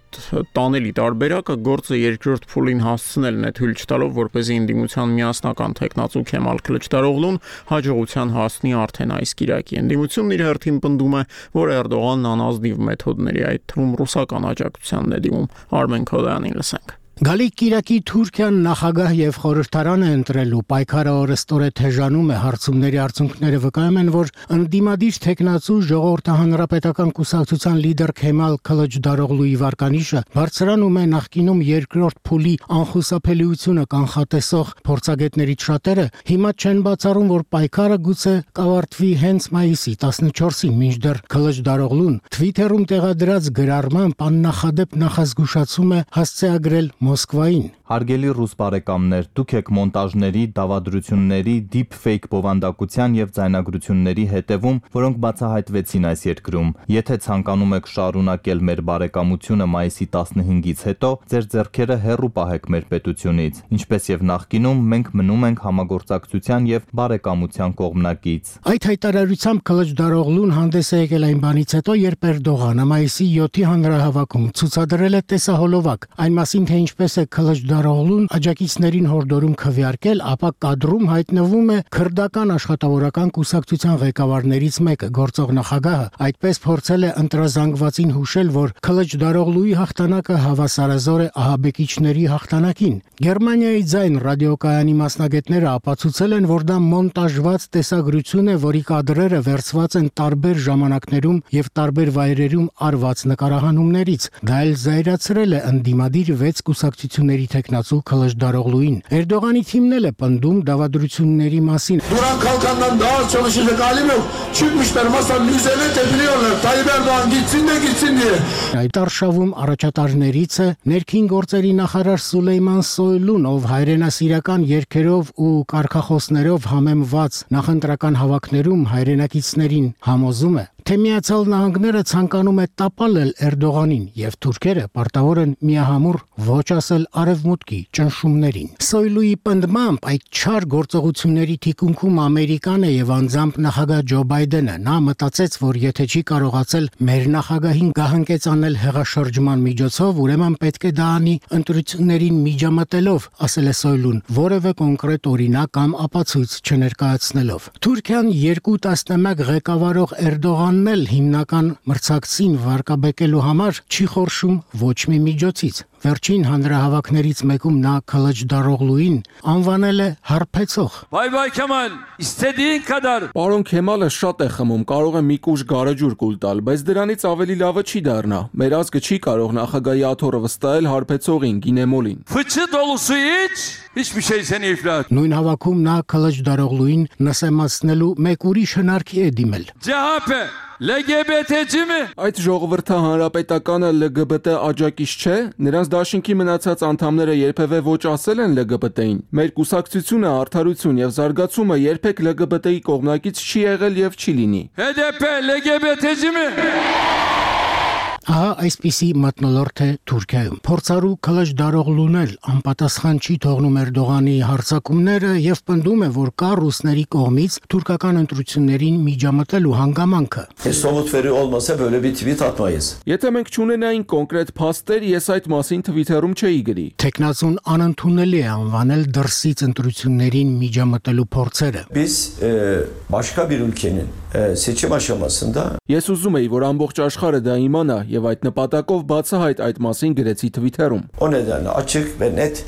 տանելի տարբերակը գործը երկրորդ փուլին հասցնելն է թույլ չտալով որպեսզի ընդդիմության միասնական տեխնացու Քեմալ Քլիչդարօղլուն հաջողության հասնի արդեն այս կիրակի։ Ընդդիմությունն իր հերթին պնդում է, որ Էրդողանն անազնիվ մեթոդների, այդ թվում ռուսական աջակցությանն է դիմում։ Արմեն Քոդայանին լսենք։ Գալիք Կիրակի Թուրքիան նախագահ եւ խորհրդարան է ընտրելու պայքարը օրստորե թեժանում է հարցումների արդյունքները վկայում են որ ընդդիմադիր տեխնացու ժողովրդի հանրապետական կուսակցության լիդեր Քեմալ Քլիչդարօղլուի վարկանիշը բարձրանում է նախկինում երկրորդ փուլի անխուսափելիությունը կանխատեսող փորձագետներից շատերը հիմա չեն բացառում որ պայքարը գուցե կավարտվի հենց մայիսի տասնչորսին մինչդեռ Քլիչդարօղլուն Twitter-ում տեղադրած գրառմամբ աննախադեպ նախազգուշացում է հասցեագրել Մոսկվային։ Հարգելի ռուս բարեկամներ, դուք եք մոնտաժների, դավադրությունների, deepfake բովանդակության եւ ձայնագրությունների հետևում, որոնք բացահայտվեցին այս երկրում։ Եթե ցանկանում եք շարունակել մեր բարեկամությունը մայիսի տասնհինգից հետո, ձեր ձեռքերը հեռու պահեք մեր պետությունից։ Ինչպես եւ նախկինում, մենք մնում ենք համագործակցության եւ բարեկամության կողմնակից։ Այդ հայտարարությամբ Քլիչդարօղլուն հանդես է եկել այն բանից հետո, երբ Էրդողանը մայիսի յոթի հանրահավաքում ցուցադրել է տեսահոլովակ, այն մասին թե ինչպես է Քլիչդարօղլուն աջակիցներին հորդորում քվեարկել, ապա կադրում հայտնվում է քրդական աշխատավորական կուսակցության ղեկավարներից մեկը, գործող նախագահը, այդպես փորձել է ընտրազանգվածին հուշել, որ Քլիչդարօղլուի հաղթանակը հավասարազոր է ահաբեկիչների հաղթանակին։ Գերմանիայի ձայն ռադիոկայանի մասնագետները ապացուցել են, որ դա մոնտաժված տեսագրություն է, որի կադրերը վերցված են տարբեր ժամանակներում եւ տարբեր վայրերում արված նկարահանումներից։ Դա էլ զայրացրել է ընդդիմադիր վեց կուսակցությունների տեխնացու Քլիչդարօղլուին։ Էրդողանի թիմն էլ է պնդում դավադրությունների մասին։ Duran kalkandan daha çalışacak halim yok. Çıkmışlar masanın üzerine tepiniyorlar. Tayyip Erdoğan gitsin de gitsin diye. Այդ արշավում առաջատարներից է ներքին գործերի նախարար Սուլեյման Սոյլուն, ով հայրենասիրական երգերով ու կարգախոսներով համեմված նախընտրական հավաքներում հայրենակիցներին համոզում է, թե Միացյալ Նահանգները ցանկանում է տապալել Էրդողանին եւ թուրքերը պարտավոր են միահամուռ ոչ ասել արևմուտքի ճնշումներին։ Սոյլուի պնդմամբ այդ չար գործողությունների թիկունքում Ամերիկան է եւ անձամբ նախագահ Ջո Բայդենը։ Նա մտածեց, որ եթե չի կարողացել մեր նախագահին գահանքեցանել հեղաշրջման միջոցով, ուրեմն պետք է դա անի ընտրություններին միջամտելով, ասել է Սոյլուն, որևէ կոնկրետ օրինակ կամ ապացույց չներկայացնելով։ Թուրքիան երկու տասնամյակ ղեկավարող Էրդողան ել հիմնական մրցակցին վարկաբեկելու համար չի խորշում ոչ մի միջոցից։ Վերջին հանրահավաքներից մեկում նա Քլիչդարօղլուին անվանել է հարբեցող։ Vay vay Kemal, istediğin kadar. Պարոն Քեմալը շատ է խմում, կարող է մի կուժ գարեջուր կուլ տալ, բայց դրանից ավելի լավը չի դառնա։ Մեր ազգը չի կարող նախագահի աթոռը վստահել հարբեցողին Գինեմոլին։ Fıçı dolusu iç, hiçbir şey seni iflas. Նույն հավաքում նա Քլիչդարօղլուին նսեմացնելու մեկ ուրիշ հնարքի է դիմել։ C H P L G B T-ci mi? Այդ ժողովրդը հանրապետականը L G B T աջակից չէ, նրանց դաշինքի մնացած անդամները երբևէ ոչ ասել են L G B T-ին։ Մեր կուսակցությունը արդարություն եւ զարգացումը երբեք L G B T-ի կողմնակից չի եղել եւ չի լինի։ H D P L G B T-ci mi? Ահա այսպիսի մթնոլորտ է Թուրքիայում։ Փորձարու Քլիչդարօղլուն էլ անպատասխան չի թողնում Էրդողանի հարձակումները եւ պնդում է, որ կա ռուսների կողմից թուրքական ընտրություններին միջամտելու հանգամանքը։ Somut veri olmasa böyle bir tweet atmayız. Եթե մենք չունենայինք կոնկրետ փաստեր, ես այդ մասին Twitter-ում չէի գրի։ Տեխնացուն անընդունելի է անվանել դրսից ընտրություններին միջամտելու փորձերը։ Biz e, başka bir ülkenin e, seçim aşamasında Ես ուզում եի, որ ամբողջ աշխարհը դա իմանա եւ այդ նպատակով բացահայտ այդ մասին գրեցի Twitter-ում։ O nedenle açık ve net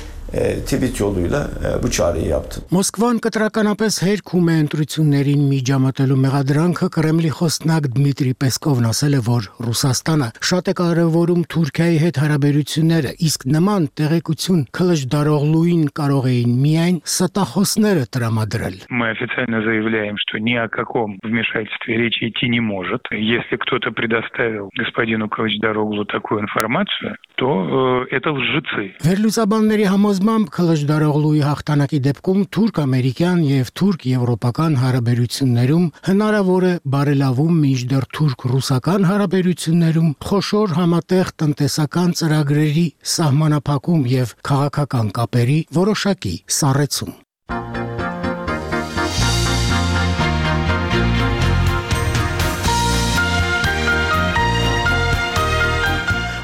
tweet yoluyla bu çağrıyı yaptı. Moskvan կտրականապես հերքում է ընտրություններին միջամտելու մեղադրանքը Կրեմլի խոսնակ Դմիտրի Պեսկովն ասել է, որ Ռուսաստանը շատ է կարևորում Թուրքիայի հետ հարաբերությունները, իսկ նման տեղեկություն քլժդարողլուին կարող էին միայն ստախոսները տրամադրել. Мы официально заявляем, что ни о каком вмешательстве речи идти не может. Если кто-то предоставил господину Кылычдароглу такую информацию, то э, это лжецы. Վերլուծաբանների համոզմամբ Քլժդարողլուի հաղթանակի դեպքում թուրք-ամերիկյան եւ թուրք-եվրոպական հարաբերություններում հնարավոր է բարելավում, մինչդեռ թուրք-ռուսական հարաբերություններում խոշոր համատեղ տնտեսական ծրագրերի սահմանափակում եւ քաղաքական կապերի որոշակի սառեցում.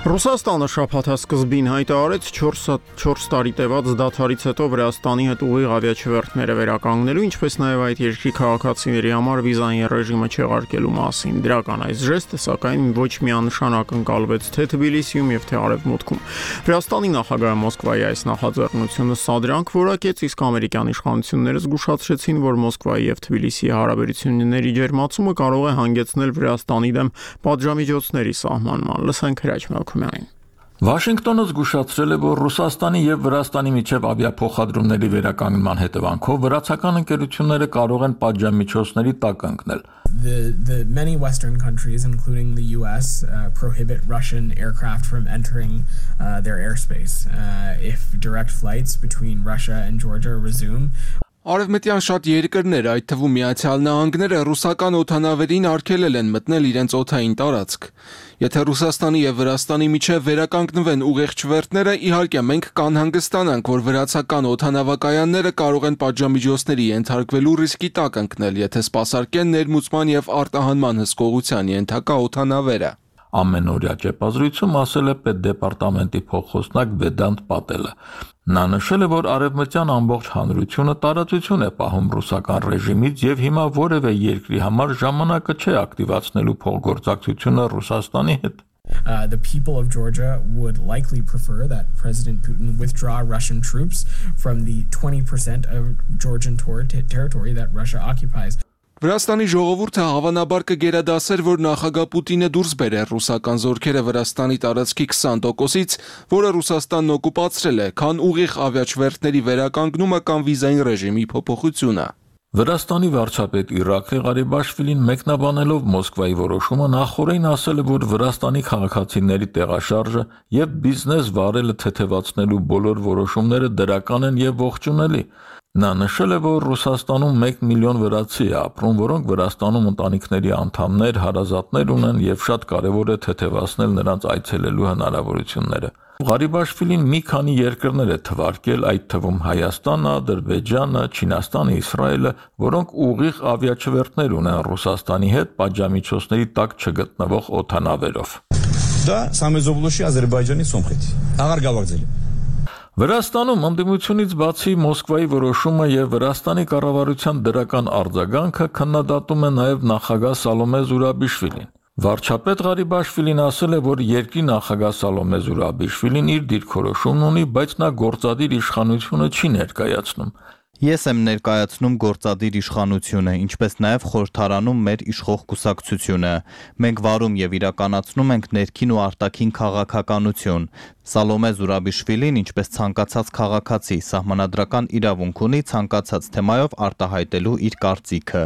Ռուսաստանը շաբաթասկզբին հայտարարեց չորս տարի տևած դադարից հետո Վրաստանի հետ ուղիղ ավիաչվերթները վերականգնելու, ինչպես նաև այդ երկրի քաղաքացիների համար վիզային ռեժիմը չեղարկելու մասին։ Դրական այս ժեստը, սակայն ոչ միանշանակ ընկալվեց թե Թբիլիսիում եւ թե Արևմուտքում։ Վրաստանի նախագահը Մոսկվայի այս նախաձեռնությունը սադրանք որակեց, իսկ ամերիկյան իշխանությունները զգուշացրեցին, որ Մոսկվայի եւ Թբիլիսիի հարաբերությունների ջերմացումը կարող է հանգեցնել Վրաստանի դեմ պատժամիջոցների սահմանման։ Լսենք Հրաչ Մելքումյանին։ Վաշինգտոնը զգուշացրել է, որ Ռուսաստանի եւ Վրաստանի միջև ավիափոխադրումների վերականգնման հետևանքով վրացական ընկերությունները կարող են պատժամիջոցների տակ ընկնել։ The the many Western countries, including the U S, uh, prohibit Russian aircraft from entering uh, their airspace uh, if direct flights between Russia and Georgia resume. Արևմտյան շատ երկրներ, այդ թվում Միացյալ Նահանգները, ռուսական օդանավերին արգելել են մտնել իրենց օդային տարածք։ Եթե Ռուսաստանի եւ Վրաստանի միջև վերականգնվեն ուղիղ չվերթները, իհարկե մենք կանհանգստանանք, որ վրացական օդանավակայանները կարող են պատժամիջոցների ենթարկվելու ռիսկի տակ ընկնել, եթե սպասարկեն ներմուծման եւ արտահանման հսկողության ենթակա օդանավերը։ Ամենօրյա ճեպազրույցում ասել է պետդեպարտամենտի փոխխոսնակ Վեդանտ Պատելը։ Նա նշել է, որ արևմտյան ամբողջ հանրությունը տարածություն է պահում ռուսական ռեժիմից եւ հիմա որևէ երկրի համար ժամանակը չէ ակտիվացնելու փոխգործակցությունը Ռուսաստանի հետ։ Uh, the people of Georgia would likely prefer that President Putin withdraw Russian troops from the twenty percent of Georgian ter- territory that Russia occupies. Վրաստանի ժողովուրդը հավանաբար կգերադասեր, որ նախագահ Պուտինը դուրս բերեր ռուսական զորքերը Վրաստանի տարածքի քսան տոկոսից, որը Ռուսաստանն օկուպացրել է, քան ուղիղ ավիաչվերթների վերականգնումը կամ վիզային ռեժիմի փոփոխությունը։ Վրաստանի վարչապետ Իրաքի Ղարիբաշվիլին մեկնաբանելով Մոսկվայի որոշումը նախորդին ասել է, որ Վրաստանի քաղաքացիների տեղաշարժը եւ բիզնես վարելը թեթևացնելու բոլոր որոշումները դրական են եւ ողջունելի։ Նա նշել է, որ Ռուսաստանում մեկ միլիոն վրացի է ապրում, որոնք Վրաստանում ընտանիքների անդամներ, հարազատներ ունեն եւ շատ կարեւոր է թեթևացնել նրանց այցելելու հնարավորությունները։ Ղարիբաշվիլին մի քանի երկրներ է թվարկել, այդ թվում Հայաստանը, Ադրբեջանը, Չինաստանը, Իսրայելը, որոնք ուղիղ ավիաչվերթներ ունեն Ռուսաստանի հետ պատժամիջոցների տակ չգտնվող օդանավերով։ Դա Սամեզովլուշի Ադրբեջանի սոմխետ։ Աղար գավարձել։ Վրաստանում ընդդիմությունից բացի Մոսկվայի որոշումը եւ Վրաստանի կառավարության դրական արձագանքը քննադատում է նաեւ նախագահ Սալոմե Զուրաբիշվիլին։ Վարչապետ Ղարիբաշվիլին ասել է, որ երկրի նախագահ Սալոմե Զուրաբիշվիլին իր դիրքորոշումն ունի, բայց նա գործադիր իշխանությունը չի ներկայացնում։ Ես եմ ներկայացնում գործադիր իշխանությունը, ինչպես նաև խորհրդարանում մեր իշխող կուսակցությունը։ Մենք վարում եւ իրականացնում ենք ներքին ու արտաքին քաղաքականություն։ Սալոմե Զուրաբիշվիլին, ինչպես ցանկացած քաղաքացի, սահմանադրական իրավունք ունի ցանկացած թեմայով արտահայտելու իր կարծիքը։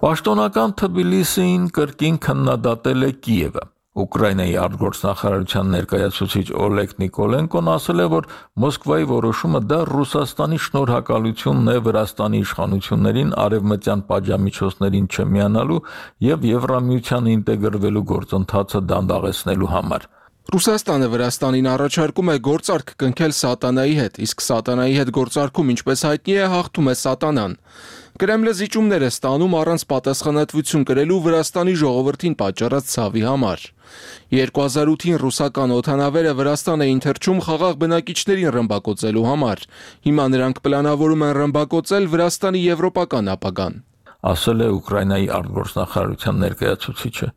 Պաշտոնական Թբիլիսին կրկին քննադատել է Կիևը։ Ուկրաինայի արտգործնախարարության ներկայացուցիչ Օլեգ Նիկոլենկոն ասել է, որ Մոսկվայի որոշումը դա Ռուսաստանի շնորհակալությունն է Վրաստանի իշխանություններին արևմտյան պատժամիջոցներին չմիանալու եւ Եվրամիության ինտեգրվելու գործընթացը դանդաղեցնելու համար։ Ռուսաստանը Վրաստանին առաջարկում է գործարք կնքել սատանայի հետ, իսկ սատանայի հետ գործարքում, ինչպես հայտնի է, հաղթում է սատանան։ Կրեմլը զիջումներ է ստանում առանց պատասխանատվություն կրելու Վրաստանի ժողովրդին պատճառած ցավի համար։ երկու հազար ութին ռուսական օդանավերը Վրաստան էին թռչում խաղաղ բնակիչներին ռմբակոծելու համար։ Հիմա նրանք պլանավորում են ռմբակոծել Վրաստանի եվրոպական ապագան, ասել է Ուկրաինայի արտգործնախարարության ներկայացուցիչը։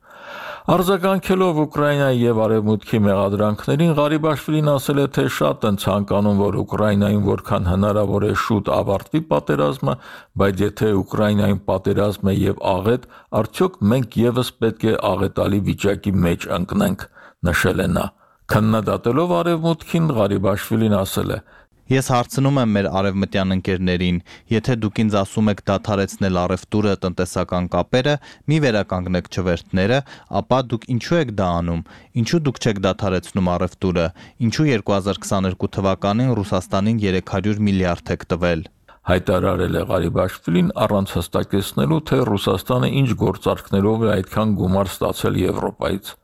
Արձագանքելով Ուկրաինայի եւ Արևմուտքի մեղադրանքներին, Ղարիբաշվիլին ասել է, թե շատ են ցանկանում, որ Ուկրաինայում որքան հնարավոր է շուտ ավարտվի պատերազմը, բայց եթե Ուկրաինայում պատերազմ է եւ աղետ, արդյոք մենք եւս պետք է աղետալի վիճակի մեջ ընկնենք, նշել է նա։ Քննադատելով Արևմուտքին, Ղարիբաշվիլին ասել է. Ես հարցնում եմ մեր արևմտյան ընկերներին, եթե դուք ինձ ասում եք դադարեցնել առևտուրը, տնտեսական կապերը, մի վերականգնեք չվերթները, ապա դուք ինչու եք դա անում, ինչու դուք չեք դադարեցնում առևտուրը, ինչու երկու հազար քսաներկու թվականին Ռուսաստանին երեք հարյուր միլիարդ եք տվել։ Հայտարարել է Ղարիբաշվիլին առանց հստակեցնելու, թե Ռուսաստանը ինչ գործարքներով է այդքան գումար ստացել Եվրոպայից։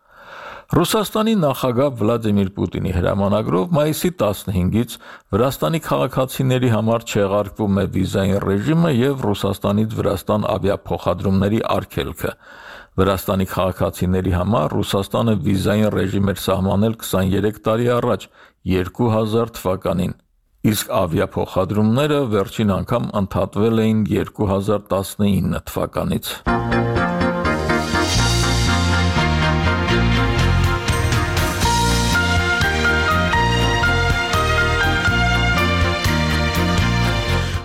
Ռուսաստանի նախագահ Վլադիմիր Պուտինի հրամանագրով մայիսի տասնհինգից Վրաստանի քաղաքացիների համար չեղարկվում է վիզային ռեժիմը եւ Ռուսաստանից Վրաստան ավիափոխադրումների արգելքը։ Վրաստանի քաղաքացիների համար Ռուսաստանը վիզային ռեժիմ էր սահմանել քսաներեք տարի առաջ, երկու հազար թվականին, իսկ ավիափոխադրումները վերջին անգամ ընդհատվել էին երկու հազար տասնինը թվականից։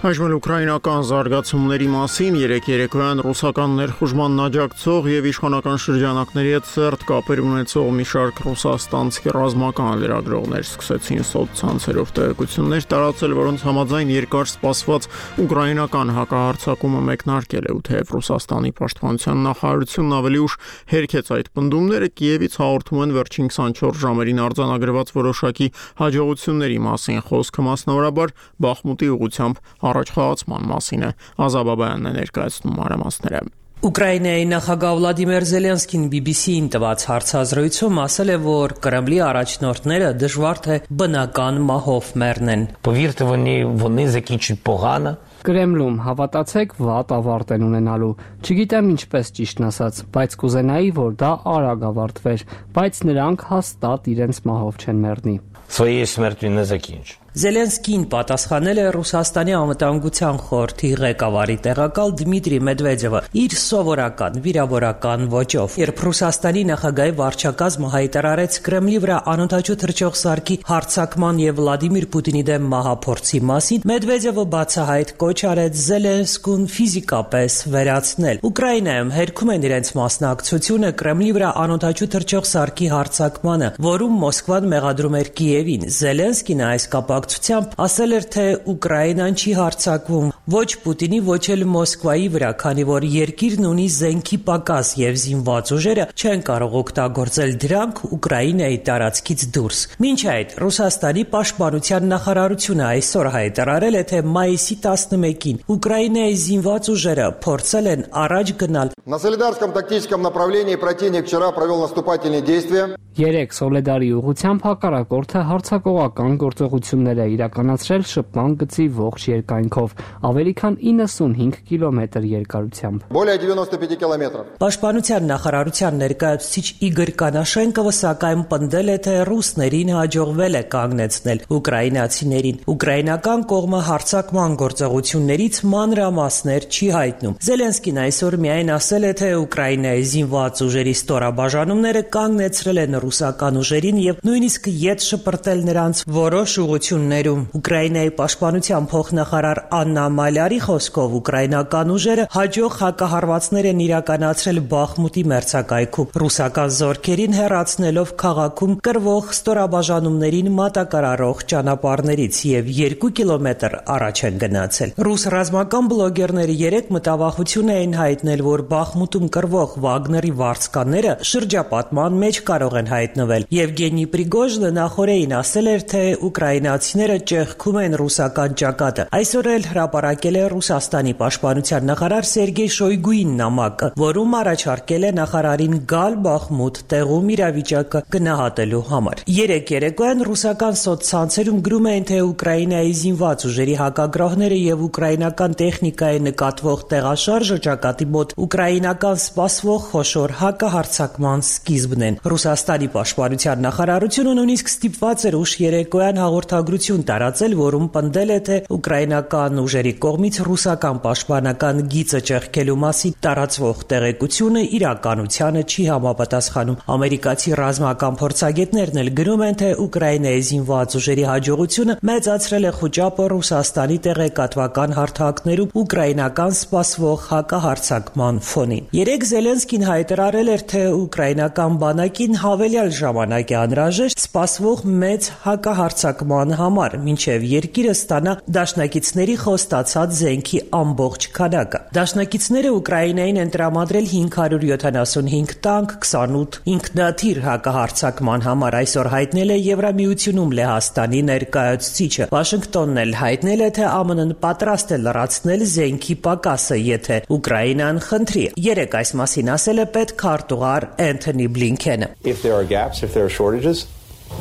Այժմ ուկրաինական զարգացումների մասին երեք երեկոյան ռուսական ներխուժման աջակցող եւ իշխանական շրջանակների հետ սերտ կապեր ունեցող մի շարք ռուսաստանցի ռազմական լրագրողներ սկսեցին սոցցանցերով տեղեկություններ տարածել, որոնց համաձայն երկար սպասված ուկրաինական հակահարձակումը մեկնարկել է, ու թեև Ռուսաստանի պաշտպանության նախարարությունն ավելի ուշ հերքեց այդ պնդումները, Կիևից հաղորդում են վերջին քսանչորս ժամերին արձանագրված որոշակի հաջողությունների մասին, խոսքը մասնավորաբար Բախմուտի ուղղությամբ առաջխաղացման մասին է։ Ազաբաբայանն է ներկայացնում մանրամասները։ Ուկրաինայի նախագահ Վլադիմիր Զելենսկին բի բի սի-ին տված հարցազրույցում ասել է, որ Կրեմլի առաջնորդները դժվար թե բնական մահով մեռնեն։ Повірте, вони вони закінчать погано. Կրեմլում հավատացեք, վատ ավարտ են ունենալու։ Չգիտեմ ինչպես ճիշտն ասած, բայց կուզենայի, որ դա արագ ավարտվեր, բայց նրանք հաստատ իրենց մահով չեն մեռնի։ Своєю смертю не закінчать. Զելենսկին պատասխանել է Ռուսաստանի անվտանգության խորհրդի ղեկավարի տեղակալ Դմիտրի Մեդվեդևը իր սովորական վիրավորական ոճով, երբ Ռուսաստանի նախագահի վարչակազմը հայտարարեց Կրեմլի վրա անօդաչու թռչող սարքի հարձակման եւ Վլադիմիր Պուտինի դեմ մահափորձի մասին, Մեդվեդևը բացահայտ կոչ արեց Զելենսկուն ֆիզիկապես վերացնել։ Ուկրաինայում հերքում են իրենց մասնակցությունը Կրեմլի վրա անօդաչու թռչող սարքի հարձակմանը, որում Մոսկվան մեղադրում էր Կիևին։ Զելենսկին այս կապ ասել էր, թե Ուկրաինան չի հարձակվում ոչ Պուտինի, ոչ էլ Մոսկվայի վրա, քանի որ երկիրն ունի զենքի պակաս եւ զինված ուժերը չեն կարող օգտագործել դրանք Ուկրաինայի տարածքից դուրս։ Մինչ այդ Ռուսաստանի պաշտպանության նախարարությունը այսօր հայտարարել է, թե մայիսի տասնմեկին Ուկրաինայի զինված ուժերը փորձել են առաջ գնալ։ На Солидарском тактическом направлении противник вчера провел наступательные действия. Երեք Սոլեդարի ուղղությամբ հակառակորդը հարձակողական գործողություններ է իրականացրել շփման գծի ողջ երկայնքով, ավելի քան իննսունհինգ կիլոմետր երկարությամբ։ Более девяноста пяти километров. Պաշտպանության նախարարության ներկայացուցիչ Իգոր Կանաշենկովը սակայն պնդել է, թե ռուսներին հաջողվել է կանգնեցնել ուկրաինացիներին։ Ուկրաինական կողմը հարձակման գործողություններից մանրամասներ չի հայտնում։ Զելենսկին այսօր միայն ասել է, թե Ուկրաինայի զինված ուժերի ստորաբաժանումները կանգնեցրել են ռուսական ուժերին եւ նույնիսկ ետ շպրտել նրանց որոշ ուղություններում։ Ուկրաինայի պաշտպանության փոխնախարար Աննա Մալյարի խոսքով ուկրաինական ուժերը հաջող հակահարվածներ են իրականացրել Բախմուտի մերձակայքում, ռուսական զորքերին հեռացնելով քաղաքում կրվող ստորաբաժանումներին մատակարարող ճանապարհներից եւ երկու կիլոմետր առաջ են գնացել։ Ռուս ռազմական բլոգերները երեք մտավախություն էին հայտնել, որ Բախմուտում կրվող Վագների վարձկանները շրջապատման մեջ կարող են հայտնվել։ Եվգենի Պրիգոժինը նախորդին ասել էր, թե ուկրաինացիները ճեղքում են ռուսական ճակատը։ Այսօր էլ հրապարակել է Ռուսաստանի պաշտպանության նախարար Սերգեյ Շոյգուին նամակը, որում առաջարկել է նախարարին գալ Բախմուտ տեղում իրավիճակը գնահատելու համար։ Երեք երեկոյան ռուսական սոցցանցերում գրում էին, թե Ուկրաինայի զինված ուժերի հակագրողները եւ ուկրաինական տեխնիկայի նկատվող տեղաշարժը ճակատի մոտ ուկրաինական սպասվող խոշոր հակահարձակման սկիզբն են։ Ռուսաստանի Հայաստանի պաշտպանության նախարարությունը նույնիսկ ստիպված էր ուշ երեկոյան հաղորդագրություն տարածել, որում պնդել է, թե ուկրաինական ուժերի կողմից ռուսական պաշտպանական գիծը ճեղքելու մասին տարածվող տեղեկությունը իրականությանը չի համապատասխանում։ Ամերիկացի ռազմական փորձագետներն էլ գրում են, թե Ուկրաինայի զինված ուժերի հաջողությունը մեծացրել է խոճապը Ռուսաստանի տեղեկատվական հարթակներում ուկրաինական սպասվող հակահարձակման ֆոնին։ Երեկ Զելենսկին հայտարարել էր, թե ուկրաինական բանակին հավելյալ ժամանակ է անհրաժեշտ սպասվող մեծ հակահարձակման համար, մինչև երկիրը ստանա դաշնակիցների խոստացած զենքի ամբողջ քանակը։ Դաշնակիցները Ուկրաինային են տրամադրել հինգ հարյուր յոթանասունհինգ տանկ, քսանութ ինքնաթիռ հակահարձակման համար, այսօր հայտնել է Եվրամիությունում Լեհաստանի ներկայացուցիչը։ Վաշինգտոնն էլ հայտնել է, թե ԱՄՆ-ն պատրաստ է լրացնել զենքի պակասը, եթե Ուկրաինան խնդրի։ Երեկ այս մասին ասել է պետքարտուղար Էնթոնի Բլինքենը։ If there are gaps, if there are shortages,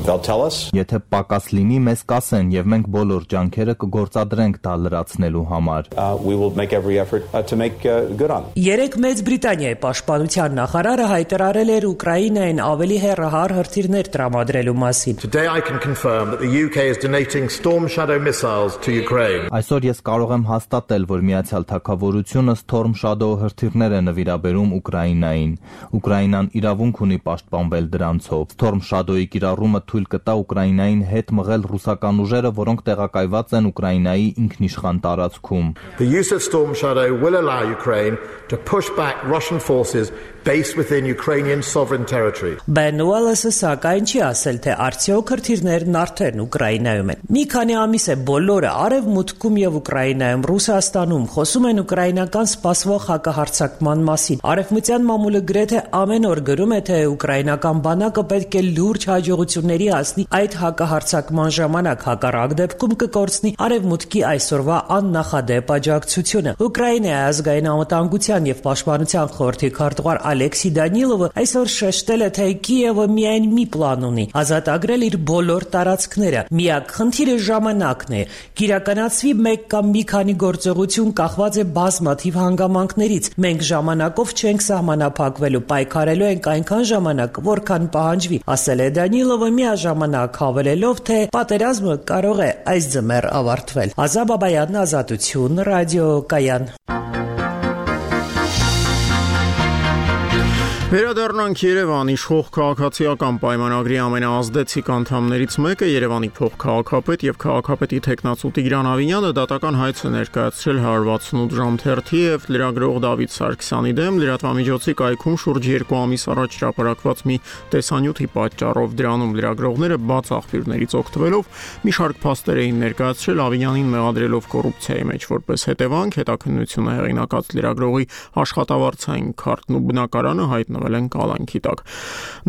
they'll tell us. Եթե պակաս լինի, մեզ կասեն եւ մենք բոլոր ջանքերը կգործադրենք դա լրացնելու համար։ Uh, we will make every effort uh, to make uh, good on it. Երեկ Մեծ Բրիտանիայի պաշտպանության նախարարը հայտարարել էր Ուկրաինային ավելի հեռահար հրթիռներ տրամադրելու մասին։ Today I can confirm that the U K is donating Storm Shadow missiles to Ukraine. Այսօր ես կարող եմ հաստատել, որ Միացյալ Թագավորությունը Storm Shadow հրթիռներ է նվիրաբերում Ուկրաինային։ Ուկրաինան իրավունք ունի պաշտպանվել դրանցով։ Storm Shadow-ի կիրառումը թույլ կտա Ուկրաինային հետ մղել ռուսական ուժերը, որոնք տեղակայված են Ուկրաինայի ինքնիշխան տարածքում։ The use of Storm Shadow will allow Ukraine to push back Russian forces based within Ukrainian sovereign territory. Ben Wallace-ը սակայն չի ասել, թե արդյոք հրթիռներն արդեն Ուկրաինայում են։ Մի քանի ամիս է բոլորը Արևմուտքում եւ Ուկրաինայում, Ռուսաստանում խոսում են ուկրաինական սպասվող հակահարձակման մասին։ Արևմտյան մամուլը գրեթե ամեն օր գրում է, թե ուկրաինական բանակը պետք է լուրջ հաջողությունների հասնի այդ հակահարձակման ժամանակ, հակառակ դեպքում կկորցնի Արևմուտքի այսօրվա աննախադեպ աջակցությունը։ Ուկրաինայի ազգային անվտանգության եւ պաշտպանության խորհրդի քարտուղար Ալեքսի Դանիլովը այսօր շեշտել է, թե Կիևը միայն մի պլան ունի՝ ազատագրել իր բոլոր տարածքները։ Միակ խնդիրը ժամանակն է։ Կիրականացվի մեկ կամ մի քանի գործողություն կախված է բազմաթիվ հանգամանքներից։ Մենք ժամանակով չենք սահմանափակվելու, պայքարելու ենք այնքան ժամանակ, որքան պահանջվի, ասել է Դանիլովը, միաժամանակ հավելելով, թե պատերազմը կարող է այս ձմեռ ավարտվել։ Ազա Բաբայան, Ազատություն, ռադիոկայան։ Վերադառնանք Երևան, իշխող քաղաքացիական պայմանագրի ամենաազդեցիկ անդամներից մեկը Երևանի փոխքաղաքապետ եւ քաղաքապետի տեխնացու Տիգրան Ավինյանը դատական հայց է ներկայացրել հարյուր վաթսունութ ժամ թերթի եւ լրագրող Դավիթ Սարգսյանի դեմ լրատվամիջոցի կայքում շուրջ երկու ամիս առաջ հրապարակված մի տեսանյութի պատճառով։ Դրանում լրագրողները բաց աղբյուրներից օգտվելով մի շարք փաստեր էին ներկայացրել, Ավինյանին մեղադրելով կոռուպցիայի մեջ որպես հետևանք, հետաքննությունը հեղինակած լրագրողի աշխատավարձային քարտն ու բնակարանը հայտնվել են կալանքի տակ։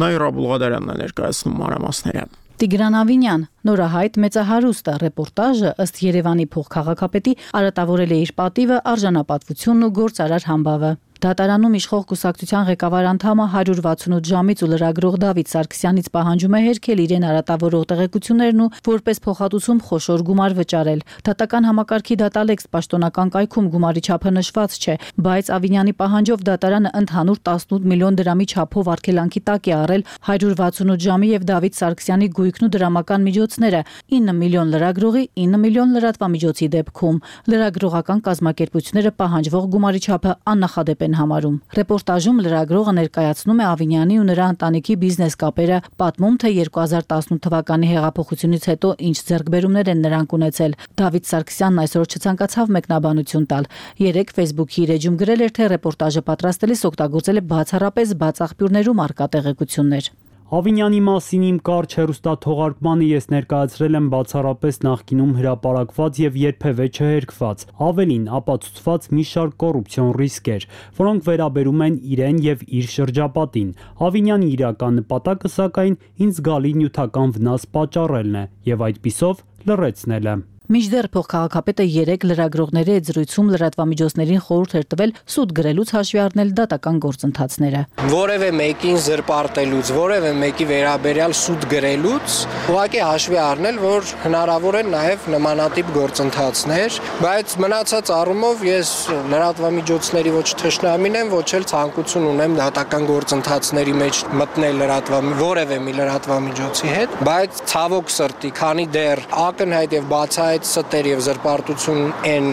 Նաիրա Բուլղադարյանն է ներկայացնում մանրամասները։ Տիգրան Ավինյան, նորահայտ մեծահարուստ ռեպորտաժը ըստ Երևանի փոխքաղաքապետի արատավորել է իր պատիվը, արժանապատվությունն ու գործարար համբավը։ Դատարանում իշխող կուսակցության ղեկավար անդամը հարյուր վաթսունութ ժամից ու լրագրող Դավիթ Սարգսյանից պահանջում է հերքել իրեն արատավորող տեղեկություններն ու որպես փոխհատուցում խոշոր գումար վճարել։ Դատական համակարգի դատալեքս պաշտոնական կայքում գումարի չափը նշված չէ, բայց Ավինյանի պահանջով դատարանը ընդհանուր տասնութ միլիոն դրամի չափով արգելանքի տակ է առել հարյուր վաթսունութ ժամի եւ Դավիթ Սարգսյանի գույքն ու դրամական միջոցները, ինը միլիոն լրագրողի, ինը միլիոն լրատվամիջոցի դեպքում։ Լրագրողական կազմակերպությունները պահանջվող գումարի չափը աննախադեպ են համարում։ Ռեպորտաժում լրագրողը ներկայացնում է Ավինյանի ու նրա ընտանիքի բիզնես կապերը, պատմում, թե երկու հազար տասնութ թվականի հեղափոխությունից հետո ինչ ձեռքբերումներ են նրանք ունեցել։ Դավիթ Սարգսյանն այսօր չցանկացավ մեկնաբանություն տալ։ Երեկ Facebook-ի իր էջում գրել էր, թե ռեպորտաժը պատրաստելիս օգտագործել է բացառապես բաց աղբյուրներում առկա տեղեկություններ։ Ավինյանի մասին իմ կարճ հեռուստաթողարկմանը ես ներկայացրել եմ բացառապես նախկինում հրապարակված եւ երբևէ չհերքված, ավելին ապացուցված մի շարք կոռուպցիոն ռիսկեր, որոնք վերաբերում են իրեն եւ իր շրջապատին։ Ավինյանի իրական նպատակը սակայն ինձ զգալի նյութական վնաս պատճառելն է եւ այդպիսով լրացնելը։ Մինչդեռ փոխքաղաքապետը երեք լրագրողների հետ զրույցում լրատվամիջոցներին խորհուրդ էր տվել սուտ գրելուց հաշվի առնել դատական գործընթացները։ Որևէ մեկին զրպարտելուց, որևէ մեկի վերաբերյալ սուտ գրելուց ուղղակի հաշվի առնել, որ հնարավոր են նաև նմանատիպ գործընթացներ, բայց մնացած առումով ես լրատվամիջոցների ոչ թշնամին եմ, ոչ էլ ցանկություն ունեմ դատական գործընթացների մեջ մտնել լրատվամի որևէ մի լրատվամիջոցի հետ, բայց ցավոք սրտի, քանի դեռ ակնհայտ եւ բացահայտ ստեր եւ զրպարտություն են